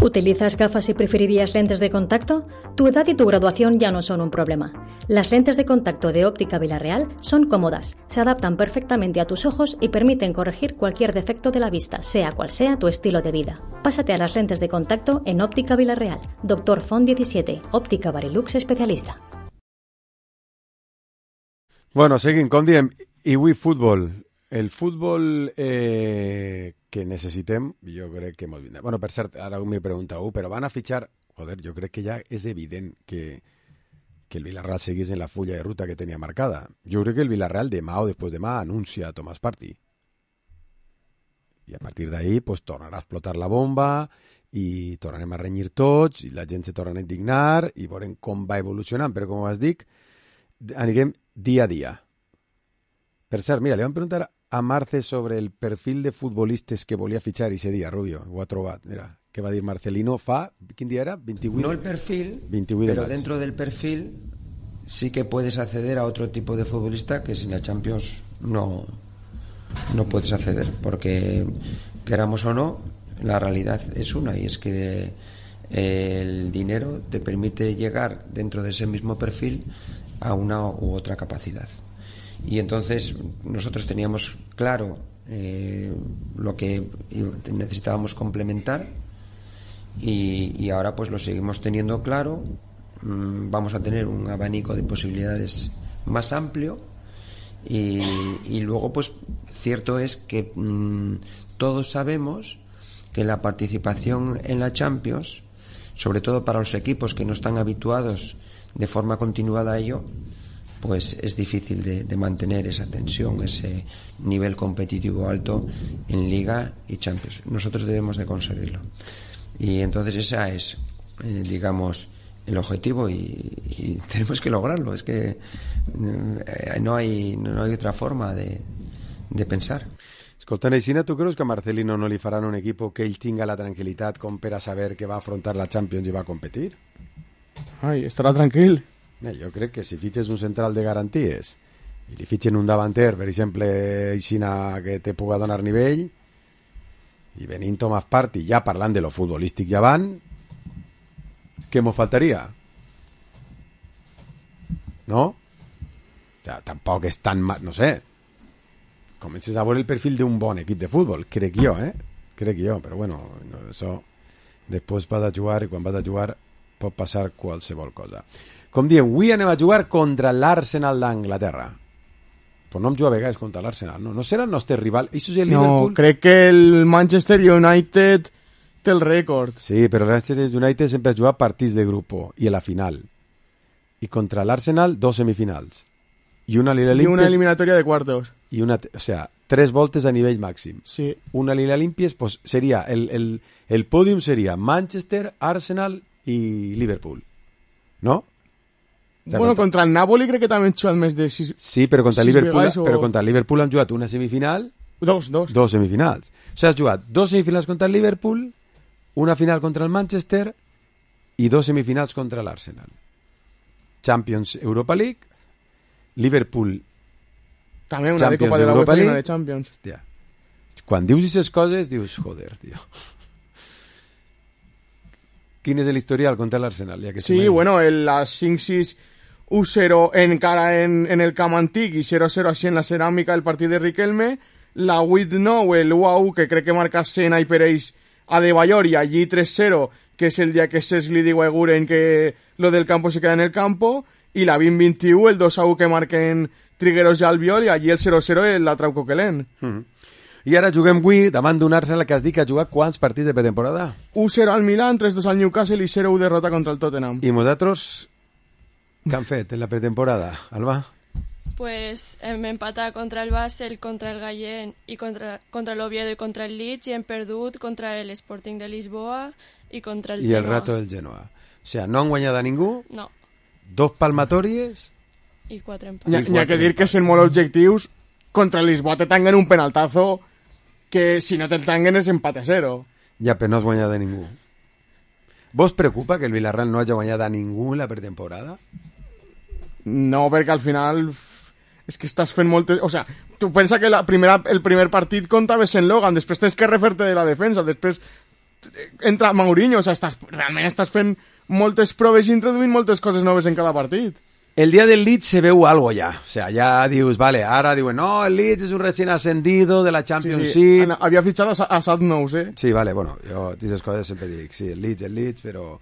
¿Utilizas gafas y preferirías lentes de contacto? Tu edad y tu graduación ya no son un problema. Las lentes de contacto de Óptica Villarreal son cómodas, se adaptan perfectamente a tus ojos y permiten corregir cualquier defecto de la vista, sea cual sea tu estilo de vida. Pásate a las lentes de contacto en Óptica Villarreal. Dr. Font 17, Óptica Barilux especialista. Bueno, seguim, com diem, i avui futbol. El futbol que necessitem, jo crec que molt vindrà. Bueno, per cert, ara m'he preguntat, però van a fitxar... Joder, jo crec que ja és evident que el Villarreal seguís en la fulla de ruta que tenia marcada. Jo crec que el Villarreal demà o després demà anuncia a Tomàs Partey. I a partir d'ahí pues, tornarà a explotar la bomba i tornarem a renyir tots i la gent se tornarà a indignar i veurem com va evolucionant. Però, com us dic, anirem dia a dia. Per cert, mira, li vam preguntar a Marce sobre el perfil de futbolistes que volia fitxar ese dia, Rubio. Ho ha trobat, mira. ¿Qué va a decir Marcelino? ¿Quién día era? 28. No el perfil, 28 pero dentro del perfil sí que puedes acceder a otro tipo de futbolista que sin la Champions no puedes acceder, porque queramos o no, la realidad es una, y es que el dinero te permite llegar dentro de ese mismo perfil a una u otra capacidad. Y entonces nosotros teníamos claro lo que necesitábamos complementar y ahora pues lo seguimos teniendo claro. Vamos a tener un abanico de posibilidades más amplio y luego pues cierto es que todos sabemos que la participación en la Champions, sobre todo para los equipos que no están habituados de forma continuada a ello, pues es difícil de mantener esa tensión, ese nivel competitivo alto en Liga y Champions. Nosotros debemos de conseguirlo. Y entonces esa es, digamos, el objetivo y tenemos que lograrlo. Es que no hay otra forma de pensar. Escolta, Neixina, tu creus que a Marcelino no li faran un equip que ell tinga la tranquil·litat com per a saber que va afrontar la Champions i va competir? Ai, estarà tranquil. Jo crec que si fitxes un central de garanties i li fitxen un davanter, per exemple, Aixina, que te puga donar nivell, i venint Tomàs Partey, ja parlant de lo futbolístic ja van, què mos faltaria? No? O sea, tampoc és tan... No sé. Comences a veure el perfil d'un bon equip de futbol, crec jo, Crec jo, però bueno, això després vas a jugar i quan vas a jugar pot passar qualsevol cosa. Com diem, avui anem a jugar contra l'Arsenal d'Anglaterra. Però no hem jugat a vegades contra l'Arsenal, no? No serà el nostre rival? Això és el Liverpool? No, crec que el Manchester United té el rècord. Sí, però el Manchester United sempre ha jugat partits de grup i a la final. I contra l'Arsenal, 2 semifinals. I una eliminatòria de quartos. I o sea, 3 voltes a nivell màxim. Sí. Una Liga Limpies, pues seria el pòdium seria Manchester, Arsenal i Liverpool. ¿No? O sea, bueno, contra el Napoli crec que també han jugat més de 6. Sí, però contra el Liverpool han jugat una semifinal. Dos semifinals. O sigui, has jugat 2 semifinals contra el Liverpool, una final contra el Manchester i 2 semifinals contra l'Arsenal. Champions Europa League, Liverpool també una de Copa de la UEFA i una de Champions. Hòstia. Quan dius aquestes coses dius, joder, tio. Quin és l'historial contra l'Arsenal? Ja que sí, bueno, les 5-6 1-0 encara en el camp antic i 0-0 així en la ceràmica el partit de Riquelme, la 8-9 el 1-1 que crec que marca Sena i Pereix a De Bayor i allí 3-0 que és el dia que Cesli diu a Guren que lo del campo se queda en el campo i la 20-21 el 2-1 que marquen Trigueros i Albiol i allí el 0-0 el Trau Coquelin. I ara juguem avui davant d'un Arsenal que has dit que ha jugat quants partits de pretemporada? 1-0 al Milan, 3-2 al Newcastle i 0-1 derrota contra el Tottenham. I vosaltres què han fet en la pretemporada, Alba? Pues hem empatat contra el Basel, contra el Gallén i contra l'Oviedo i contra el Leeds i hem perdut contra l'Sporting de Lisboa i contra el Genoa. I el Rato del Genoa. O sigui, no han guanyat a ningú? No. 2 palmatòries? I 4 empats. N'hi ha que dir que sent molt objectius, contra el Lisboa te tanguen un penaltazo que si no te'l tanguen és empat a 0. Ja, però no has guanyat a ningú. ¿Vos preocupa que el Villarreal no haya guanyat a ningú en la pretemporada? No, perquè al final és que estàs fent moltes... O sea, tu pensa que el primer partit comptaves en Logan, després tens que refer-te de la defensa, després entra Mourinho, o sigui, realment estàs fent moltes proves i introduint moltes coses noves en cada partit. El día del Leeds se veu algo ya. O sea, ya dius, vale, ahora diuen, no, el Leeds es un recién ascendido de la Championship. Sí. Havia fitxat a Sadnous, Sí, vale, bueno, jo aquestes coses sempre dic, sí, el Leeds, però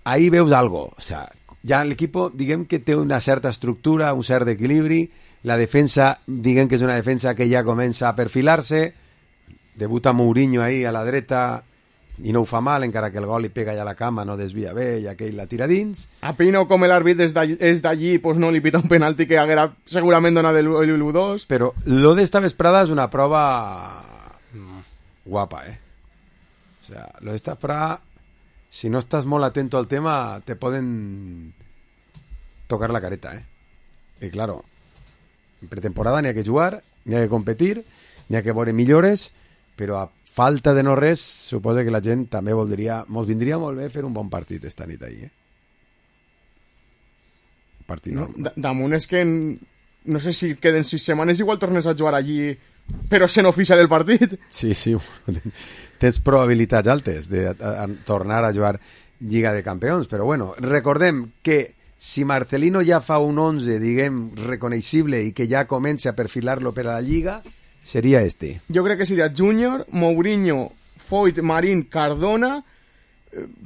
ahí veus algo. O sea, ja l'equip, diguem que té una certa estructura, un cert equilibri, la defensa, diguem que és una defensa que ja comença a perfilar-se, debuta Mourinho ahí a la dreta, i no ho fa mal, encara que el gol li pega ja a la cama, no desvia bé, i aquell la tira dins. A Pino, com l'àrbit és d'allí, pues no li pita un penalti que haguera segurament donat el 1-2. Però lo d'esta vesprada és una prova guapa, O sea, lo d'esta vesprada, si no estàs molt atento al tema, te poden tocar la careta, I claro, en pretemporada n'hi ha que jugar, n'hi ha que competir, n'hi ha que veure millores, però a falta de no res, suposa que la gent també voldria, mos vindria molt bé fer un bon partit esta nit ahí, Partit normal. Damunt és que no sé si queden 6 setmanes, igual tornes a jugar allí, però sent oficial el partit. Sí, tens probabilitats altes de tornar a jugar Lliga de Campions, però bueno, recordem que si Marcelino ja fa un 11, diguem, reconeixible i que ja comença a perfilar-lo per a la Lliga, seria este. Jo crec que seria Júnior, Mourinho, Foyt, Marín, Cardona,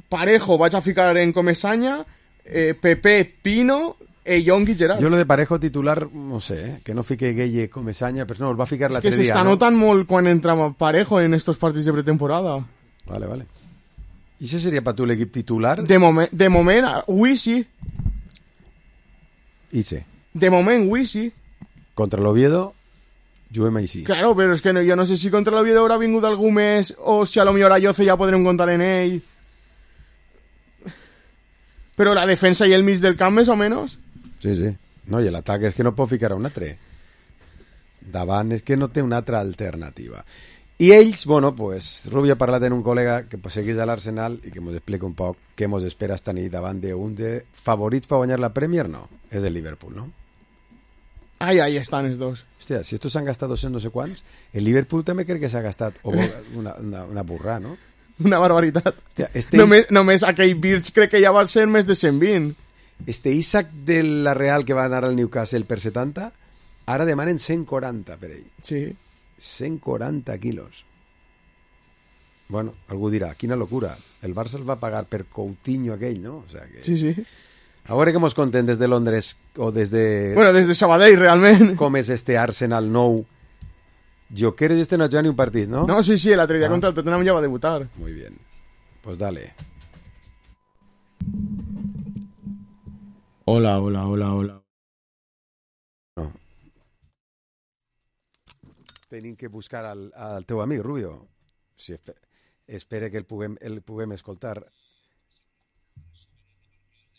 Parejo vaig a ficar en Comesaña, Pepe, Pino, Young i Gerard. Jo lo de Parejo titular, no sé, que no fique Gueye, Comesaña, però no, el va ficar l'altre dia. És que s'està notant molt quan entra Parejo en estos partits de pretemporada. Vale. I ese seria per tu l'equip titular? De moment, avui sí. I sí. De moment, avui sí. Contra l'Oviedo, juguem així. Claro, però és que jo no sé si contra l'Oviedo haurà vingut algú més o si a lo millor a Yoce ja podrem comptar en ell. Però la defensa i el mig del camp, més o menys. Sí. No, i l'atac és que no pot ficar un altre. Davant és que no té una altra alternativa. I ells, bueno, pues, Rubio ha parlat en un col·lega que pues, seguís a l'Arsenal i que ens explica un poc què ens espera esta nit davant d'un de favorits per guanyar la Premier, no. És el Liverpool, no? Ahí estan els dos. Hòstia, si estos s'han gastat 200 no sé quants, el Liverpool també crec que s'ha gastat una burrà, no? Una barbaritat. Hòstia, només aquell Birch crec que ja va ser més de 120. Este Isaac de la Real que va anar al Newcastle per 70, ara demanen 140 per ell. Sí. 140 quilos. Bueno, algú dirà, quina locura. El Barça el va pagar per Coutinho aquell, no? O sea que... Sí. A veure què mos conten des de Londres o des de... Bueno, des de Sabadell, realment. Com és este Arsenal nou. Jokeres este no ha jugat ni un partit, ¿no? No, sí, l'altre dia contra el Tottenham ja va debutar. Muy bien. Pues dale. Hola. No. Tenim que buscar al teu amic, Rubio. Si espere que el puguem escoltar.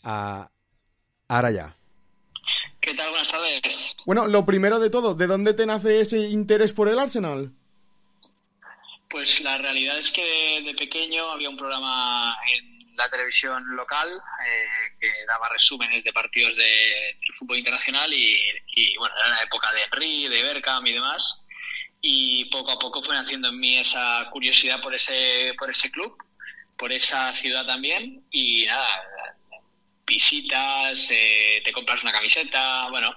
Ahora ya. ¿Qué tal? Buenas tardes. Bueno, lo primero de todo, ¿de dónde te nace ese interés por el Arsenal? Pues la realidad es que de pequeño había un programa en la televisión local que daba resúmenes de partidos del fútbol internacional y bueno, era la época de Henry, de Bergkamp y demás, y poco a poco fue naciendo en mí esa curiosidad por ese club, por esa ciudad también, y nada, visitas, te compras una camiseta, bueno,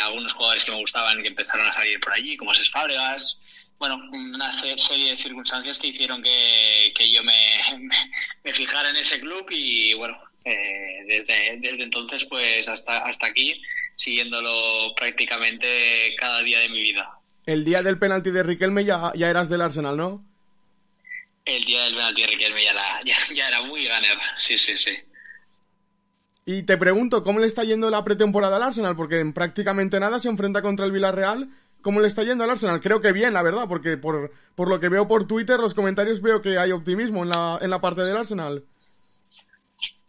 algunos jugadores que me gustaban que empezaron a salir por allí, como Cesc Fábregas, bueno, una serie de circunstancias que hicieron que yo me fijara en ese club y bueno, desde entonces pues hasta aquí, siguiéndolo prácticamente cada día de mi vida. El día del penalti de Riquelme ya eras del Arsenal, ¿no? El día del penalti de Riquelme ya era muy ganer, sí. Y te pregunto, ¿cómo le está yendo la pretemporada al Arsenal? Porque en prácticamente nada se enfrenta contra el Villarreal. ¿Cómo le está yendo al Arsenal? Creo que bien, la verdad, porque por lo que veo por Twitter, los comentarios veo que hay optimismo en la parte del Arsenal.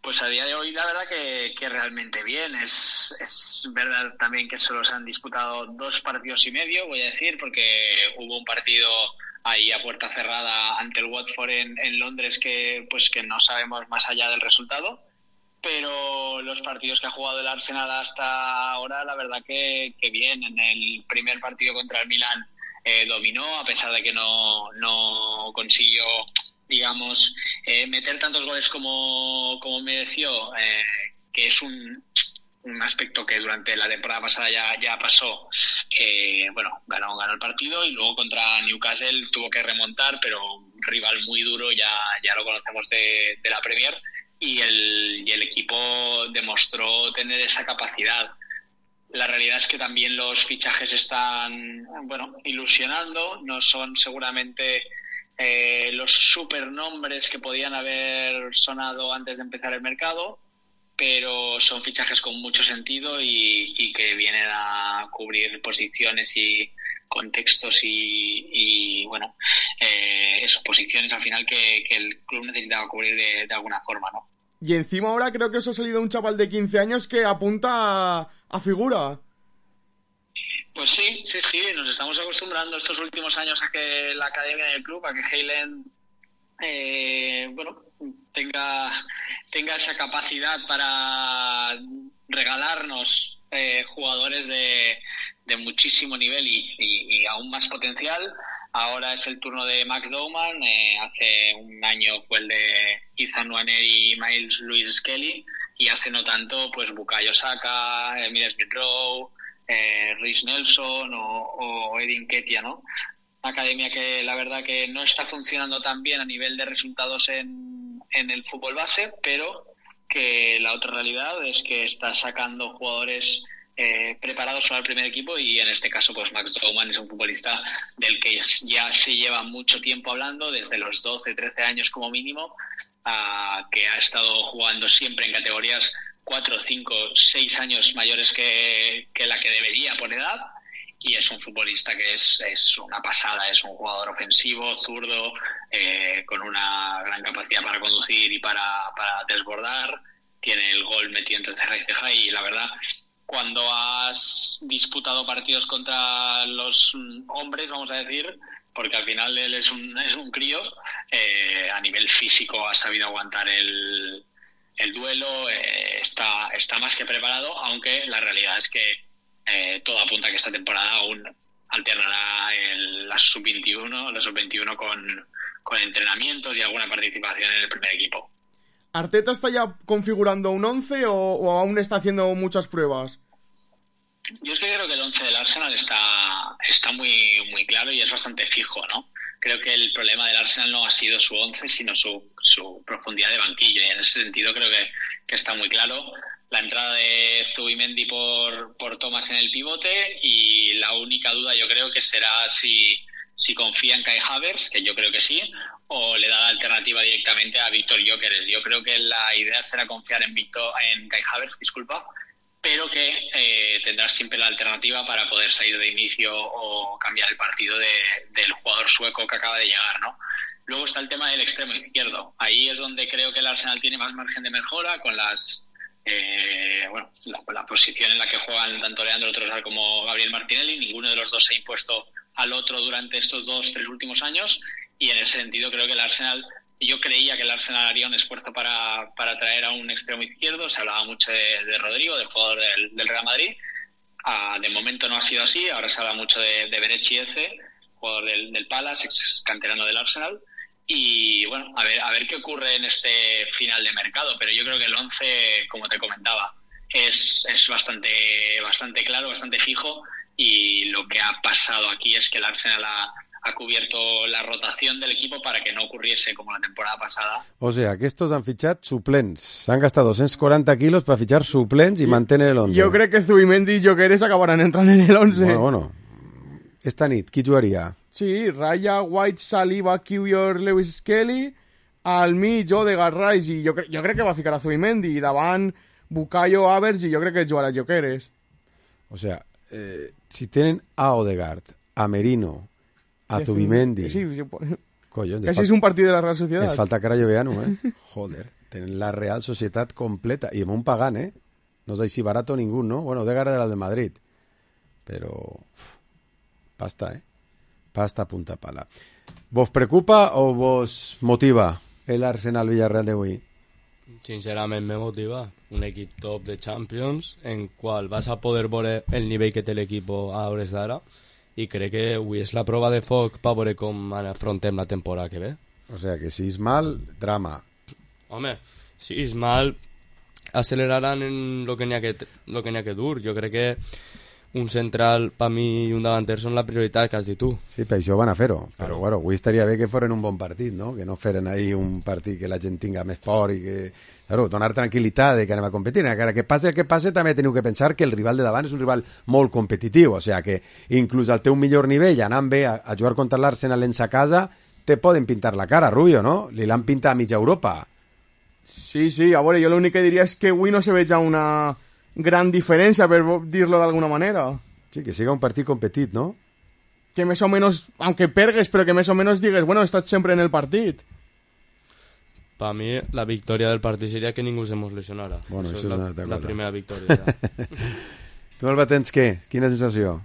Pues a día de hoy la verdad que realmente bien. Es verdad también que solo se han disputado 2 partidos y medio, voy a decir, porque hubo un partido ahí a puerta cerrada ante el Watford en Londres que no sabemos más allá del resultado. Pero los partidos que ha jugado el Arsenal hasta ahora, la verdad que bien. En el primer partido contra el Milan dominó, a pesar de que no consiguió digamos, meter tantos goles como mereció, que es un aspecto que durante la temporada pasada ya pasó. Bueno, ganó el partido y luego contra Newcastle tuvo que remontar, pero un rival muy duro, ya lo conocemos de la Premier, y el equipo demostró tener esa capacidad. La realidad es que también los fichajes están, bueno, ilusionando, no son seguramente los supernombres que podían haber sonado antes de empezar el mercado, pero son fichajes con mucho sentido y que vienen a cubrir posiciones y contextos y bueno, esas posiciones al final que el club necesitaba cubrir de alguna forma, ¿no? Y encima ahora creo que os ha salido un chaval de 15 años que apunta a figura. Pues sí, nos estamos acostumbrando estos últimos años a que la academia del club, a que Haaland bueno, tenga esa capacidad para regalarnos jugadores de muchísimo nivel y aún más potencial. Ahora es el turno de Max Bowman, hace un año fue el de Ethan Nwaneri y Miles Lewis Kelly, y hace no tanto pues Bukayo Saka, Emile Smith-Rowe, Reece Nelson o Edin Nketiah, ¿no? Una academia que la verdad que no está funcionando tan bien a nivel de resultados en el fútbol base, pero que la otra realidad es que está sacando jugadores preparados para el primer equipo, y en este caso pues Max Bowman es un futbolista del que ya se lleva mucho tiempo hablando, desde los 12-13 años como mínimo, que ha estado jugando siempre en categorías 4, 5, 6 años mayores que la que debería por edad, y es un futbolista que es una pasada, es un jugador ofensivo, zurdo, con una gran capacidad para conducir y para desbordar, tiene el gol metido entre ceja y ceja, y la verdad, cuando has disputado partidos contra los hombres, vamos a decir, porque al final él es un crío, a nivel físico ha sabido aguantar el duelo, está más que preparado, aunque la realidad es que todo apunta a que esta temporada aún alternará la sub-21 con entrenamientos y alguna participación en el primer equipo. ¿Arteta está ya configurando un 11 o aún está haciendo muchas pruebas? Yo es que creo que el 11 del Arsenal está muy, muy claro y es bastante fijo, ¿no? Creo que el problema del Arsenal no ha sido su 11, sino su profundidad de banquillo, y en ese sentido creo que está muy claro. La entrada de Zubimendi por Thomas en el pivote, y la única duda yo creo que será si confía en Kai Havertz, que yo creo que sí, o le da la alternativa directamente a Víctor Gyökeres. Yo creo que la idea será confiar en Kai Havertz, pero que tendrá siempre la alternativa para poder salir de inicio o cambiar el partido del jugador sueco que acaba de llegar, ¿no? Luego está el tema del extremo izquierdo. Ahí es donde creo que el Arsenal tiene más margen de mejora con la posición en la que juegan tanto Leandro Trossard como Gabriel Martinelli. Ninguno de los dos se ha impuesto al otro durante estos 2-3 últimos años, y en ese sentido creo que yo creía que el Arsenal haría un esfuerzo para traer a un extremo izquierdo. Se hablaba mucho de Rodrigo, del jugador del Real Madrid. De momento no ha sido así. Ahora se habla mucho de Berechi Eze, jugador del Palace, ex canterano del Arsenal. Y bueno, a ver qué ocurre en este final de mercado, pero yo creo que el 11, como te comentaba, es bastante claro, bastante fijo, y lo que ha pasado aquí es que el Arsenal ha cubierto la rotación del equipo para que no ocurriese como la temporada pasada. O sea, que estos han fichat suplents. S'han gastat 240 quilos per fitxar suplents i mantenir el 11. Jo crec que Zubimendi i Gyökeres acabaran entrant en el 11. Bueno. Esta nit, qui jugaria? Sí, Raya, White, Saliba, Kiwior, Lewis Kelly, al mig Odegaard, Rice, i jo crec que va ficar a Zubimendi, i davant Bukayo, Havertz, i jo crec que jugarà Gyökeres. O sea, si tenen a Odegaard, a Merino, a Zubimendi... Sí. Collons, casi és un partit de la Real Sociedad. Es falta cara Lloveano, Joder, tenen la Real Societat completa. I amb un pagant, No es així barato ningú, ¿no? Bueno, Odegaard era el de Madrid. Pero... pasta, Pasta punta pala. ¿Vos preocupa o vos motiva el Arsenal Villarreal de hoy? Sincerament me motiva. Un equip top de Champions en qual vas a poder veure el nivell que té l'equip a hores d'ara, i crec que avui és la prova de foc per veure com afrontem la temporada que ve. O sea, que si és mal, drama. Home, si és mal, acceleraran en lo que n'hi ha que dur. Jo crec que un central, per mi, i un davanter són la prioritat que has dit tu. Sí, per això van a fer-ho. Però, bueno, avui estaria bé que foren un bon partit, no? Que no feren ahí un partit que la gent tinga més por i que... Claro, donar tranquil·litat de que anem a competir. Encara que passe el que passe, també teniu que pensar que el rival de davant és un rival molt competitiu. O sea, que inclús al teu millor nivell, anant bé a jugar contra l'Arsenal en sa casa, te poden pintar la cara, Rubio, no? Li l'han pintat a mitja Europa. Sí, a veure, jo l'únic que diria és que avui no se veja una gran diferència, per dir-lo d'alguna manera. Sí, que siga un partit competit, no? Que més o menys, aunque pergues, però que més o menys digues, bueno, he estat sempre en el partit. Per mi, la victòria del partit seria que ningú se mos lesionara. Bueno, això és la primera victòria. Tu, Alba, tens què? Quina sensació?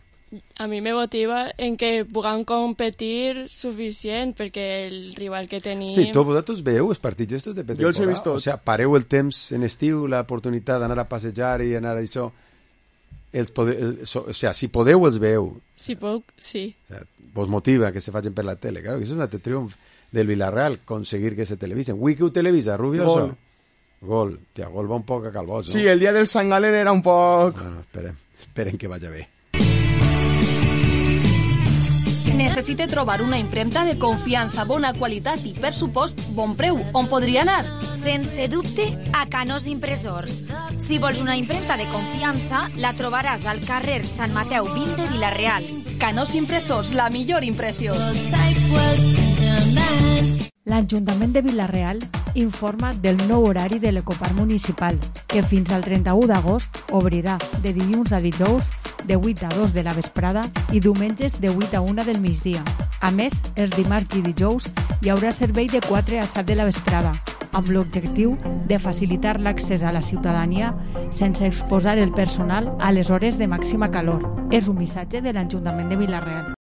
A mi me motiva en que puguem competir suficient, perquè el rival que tenim... Sí, vosaltres veieu els partits estos de pretemporada? Jo els he vist tots. O sea, pareu el temps en estiu, l'oportunitat d'anar a passejar i anar a això... o sea, si podeu, els veieu. Si puc, sí. O sea, vos motiva que se facin per la tele. Claro, que això és un altre triomf del Villarreal, conseguir que se televisen. Avui que ho televisa, Rubio? Gol. Ja, gol va un poc a calbós, no? Sí, el dia del Sant Galen era un poc... Bueno, esperem que vagi bé. Necessita trobar una impremta de confiança, bona qualitat i, per supost, bon preu. On podria anar? Sense dubte, a Canós Impressors. Si vols una impremta de confiança, la trobaràs al carrer Sant Mateu 20 de Vila-real. Canós Impressors, la millor impressió. L'Ajuntament de Vila-real informa del nou horari de l'Ecoparc Municipal, que fins al 31 d'agost obrirà de dilluns a dijous de 8 a 2 de la vesprada i diumenges de 8 a 1 del migdia. A més, els dimarts i dijous hi haurà servei de 4 a 7 de la vesprada, amb l'objectiu de facilitar l'accés a la ciutadania sense exposar el personal a les hores de màxima calor. És un missatge de l'Ajuntament de Vila-real.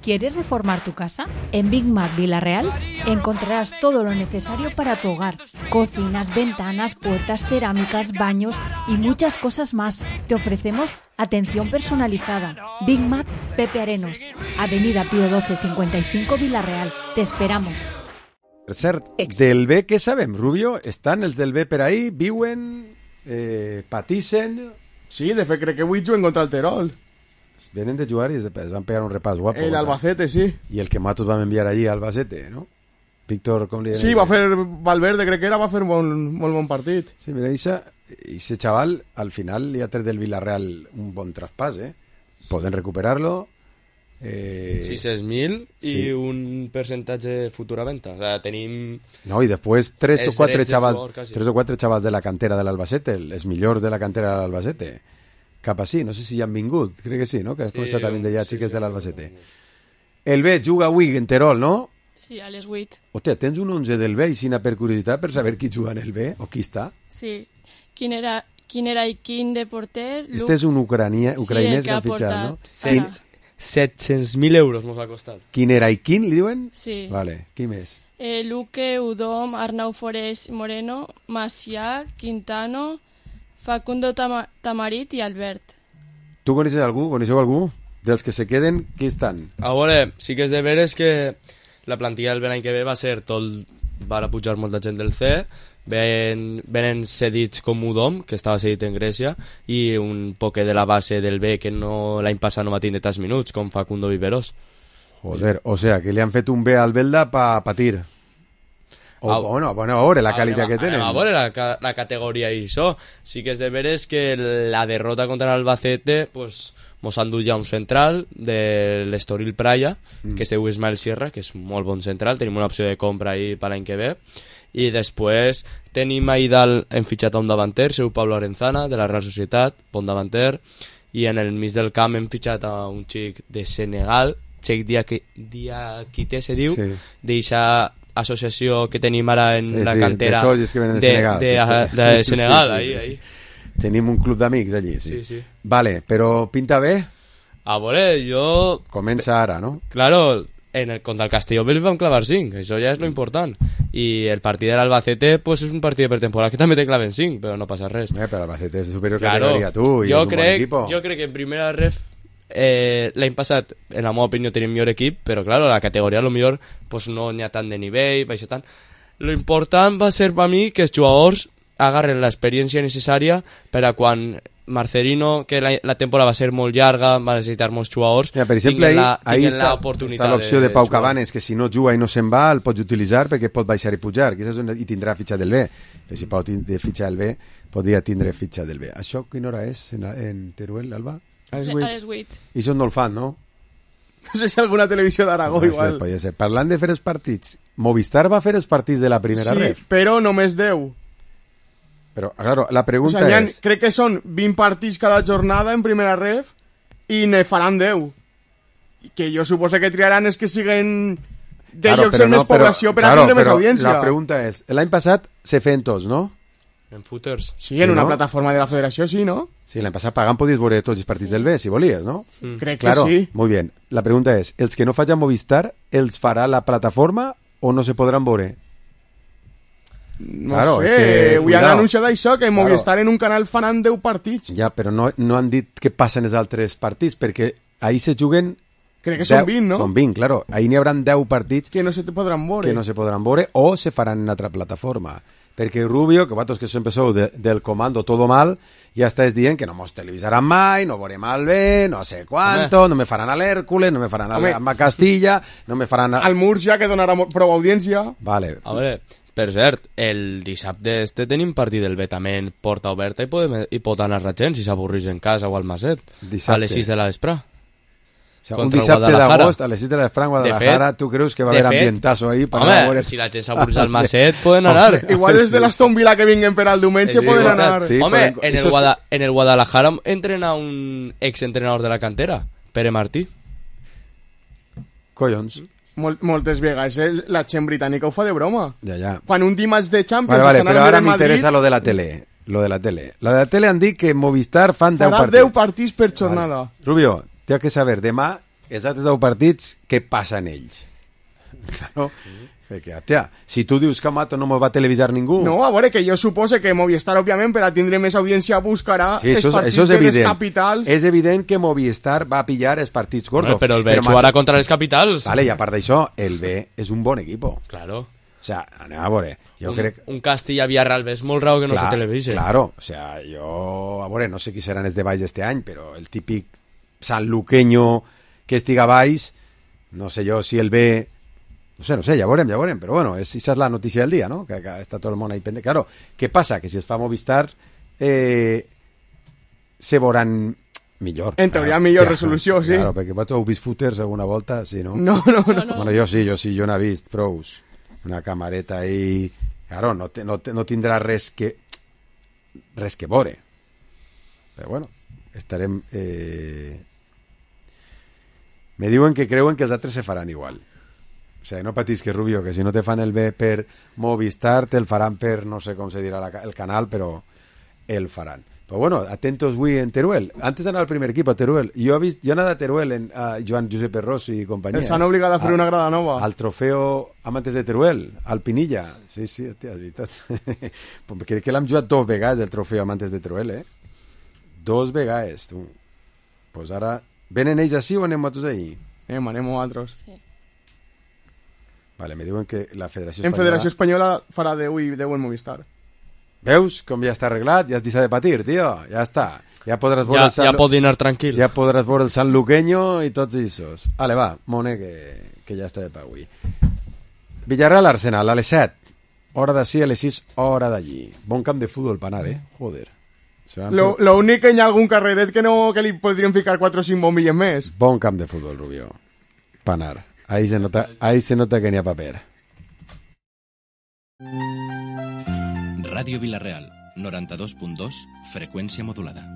¿Quieres reformar tu casa? En Big Mac Vila-real encontrarás todo lo necesario para tu hogar. Cocinas, ventanas, puertas, cerámicas, baños y muchas cosas más. Te ofrecemos atención personalizada. Big Mac Pepe Arenos, Avenida Pío 12 55 Vila-real. Te esperamos. Per cert, del B què sabem, Rubio? Estan els del B per ahí, viuen, patissen... Sí, de fet crec que avui juguen contra el Terol. Venen de jugar i es van pegar un repàs guapo. El Albacete, sí. I el que Matos vam enviar allí a Albacete, ¿no? Víctor, com li deia? Sí, va fer Valverde, crec que era, va fer molt bon partit. Sí, mira, ese chaval al final li ha tret del Villarreal un bon traspàs, ¿eh? Poden recuperar-lo. 600.000 sí. I un percentatge de futura venta. O sea, tenim... No, i després 3 o 4 xavals de la cantera de l'Albacete, els millors de la cantera de l'Albacete. Cap així, no sé si ja han vingut, crec que sí, no? Que has començat a vindre ja xiques de l'Albacete. El B juga avui en Terol, no? Sí, a les 8. Hòstia, tens un 11 del B i sina per curiositat per saber qui juga en el B o qui està? Sí. Quin era i quin de porter? Este és un ucraïnès que han fitxat, no? 700.000 euros mos ha costat. Quin era i quin, li diuen? Sí. Vale, qui més? Luque, Udom, Arnau Forés Moreno, Macià, Quintano... Facundo Tamarit i Albert. Tu coneixes algú? Coneixeu algú? Dels que se queden, qui estan? A veure, sí que és de veres que la plantilla del l'any que ve va ser tot... Va pujar molta gent del C, venen cedits com Udom, que estava cedit en Grècia, i un poquet de la base del B, que no l'any passat no va tindre tants minuts, com Facundo Viveros. Joder, o sea, que li han fet un B al Belda pa patir. Bueno, a veure la qualitat que tenen. A veure la categoria i això. Sí que és de veres que la derrota contra l'Albacete pues, mos han dut ja un central de l'Estoril Praia, que es diu Ismael Sierra, que és molt bon central. Tenim una opció de compra ahí per l'any que ve. I després tenim ahí dalt, hem fitxat a un davanter, seu Pablo Arenzana, de la Real Societat, bon davanter. I en el mig del camp hem fitxat a un xic de Senegal, Cheikh Diakité se diu, sí. D'eixa associació que tenim ara en la cantera de Senegal. De Senegal, ahí. Tenim un club d'amics allí, sí. Vale, però pinta bé? A veure, jo... Comença ara, no? Claro, contra el Castelló vam clavar 5, això ja és lo important. I el partit de l'Albacete pues, és un partit de pretemporada que també te claven 5, però no passa res. Però l'Albacete és superior categoria tu i és un bon equip. Jo crec que en primera ref l'any passat, en la meva opinió, tenim millor equip, però, clar, la categoria, a lo millor, pues, no n'hi ha tant de nivell, baixa tant. Lo important va ser per mi que els jugadors agarren l'experiència necessària per a quan Marcelino, que la temporada va ser molt llarga, va necessitar molts jugadors, per exemple, ahí està l'opció de Pau jugar. Cabanes, que si no juga i no se'n va, el pots utilitzar perquè pot baixar i pujar, i tindrà fitxa del B. Que si Pau tindrà fitxa del B, podria tindre fitxa del B. Això quina hora és en Teruel, Alba? A les 8. I això no el fan, no? No sé si alguna televisió d'Aragó igual. Ser. Parlant de fer els partits, Movistar va fer els partits de la primera ref. Sí, però només 10. Però, claro, la pregunta és... Crec que són 20 partits cada jornada en primera ref i ne faran 10. Que jo suposo que triaran és que siguen de llocs amb més població per a tindre més audiència. La pregunta és, l'any passat se feien tots, no? En footers. Sí, en una plataforma de la federació, sí, no? Sí, l'any passat pagant podies veure tots els partits del B, si volies, no? Sí. Crec que sí. Muy bien. La pregunta és, els que no facin Movistar, els farà la plataforma o no se podran veure? No sé, avui han anunciat això, que Movistar en un canal faran 10 partits. Ja, però no han dit què passa en els altres partits, perquè ahí se juguen... Crec que són 20, no? Són 20, claro. Ahí n'hi haurà 10 partits... Que no se podran veure. Que no se podran veure o se faran en altra plataforma. Perquè Rubio, que vosaltres que sempre sou del comando todo mal, ja estàs dient que no mos televisaran mai, no veurem el bé, no sé quanto, no me faran a l'Hèrcules, no me faran a Castilla, no me faran al Murcia, que donarà prou audiència. Vale. A veure, per cert, el dissabte tenim partit del B també en porta oberta i pot anar la gent si s'avorreix en casa o al Maset, a les 6 de la vespre. O sea, un dissabte d'agost a les 6 de la vespre en Guadalajara, tu creus que va haver ambientazo ahí? Home, si la gent s'avorreix al Maset, poden anar. Igual és de l'Aston Villa que vinguen per al diumenge, poden anar. Home, en el Guadalajara entrena un exentrenador de la cantera, Pere Martí. Collons. Moltes vegades la gent britànica ho fa de broma. Ja. Quan un dimarts de Champions... Vale, però ara m'interessa lo de la tele. Lo de la tele han dit que Movistar fan 10 partits. Farà 10 partits per jornada. Rubio, té que saber, demà, els altres 10 partits, què passa en ells? Claro, perquè, tia, si tu dius que Mato no mos va televisar ningú... No, a veure, que jo supose que Movistar, òbviament, per a tindre més audiència, buscarà els partits de les capitals... És evident que Movistar va a pillar els partits gordos. Però el B jugarà contra les capitals. Vale, i a part d'això, el B és un bon equip. Claro. O sea, anem a veure. Un Castilla-Villarreal és molt raro que no se televise. Claro, o sea, jo... A veure, no sé qui seran els de baix este any, però el típic sanluqueño que estiga baix, no sé jo si el B... No sé, ja veurem, però bueno, esa és la notícia del dia, no? Que està tot el món ahí pendent. Claro, què passa? Que si es fa Movistar se veuran millor. En teoria, millor resolució, sí. Claro, perquè vosaltres heu vist footers alguna volta, sí, no? No. Bueno, jo sí, jo n'he vist prous. Una camareta ahí... Claro, no tindrà res que veure. Però bueno, estarem... Me diuen que creuen que els altres se faran igual. O sea, no patis que Rubio, que si no te fan el B per Movistar, te el faran per, no sé com se dirà el canal, però el faran. Però bueno, atentos avui en Teruel. Antes d'anar al primer equip a Teruel, jo he anat a Teruel en Joan Josep Rossi i companyia. Els han obligat a fer una grada nova. Al trofeo Amantes de Teruel, al Pinilla. Sí, hòstia, és veritat. Crec que l'hem jugat 2 vegades, el trofeo Amantes de Teruel, 2 vegades, tu. Pues ara... Venen ells així o anem nosaltres ahí? Anem nosaltres. Sí. Vale, me diuen que la Federació Espanyola... En Federació Espanyola farà 10 i 10 en Movistar. Veus com ja està arreglat? Ja has deixat de patir, tio. Ja està. Ja podràs veure ja pot dinar tranquil. Ja podràs veure el sanluqueño i tots aquests. Vale, va, Mone, que ja està de pa avui. Villarreal Arsenal, a les 7. Hora d'ací, a les 6, hora d'allí. Bon camp de futbol per anar, Joder. Lo únic que hi ha algun carreret que li podrien ficar 4 o 5 bombilles més. Bon camp de futbol, Rubio. Per anar. Ahí se nota que n'hi ha paper. Ràdio Vila-real, 92.2, freqüència modulada.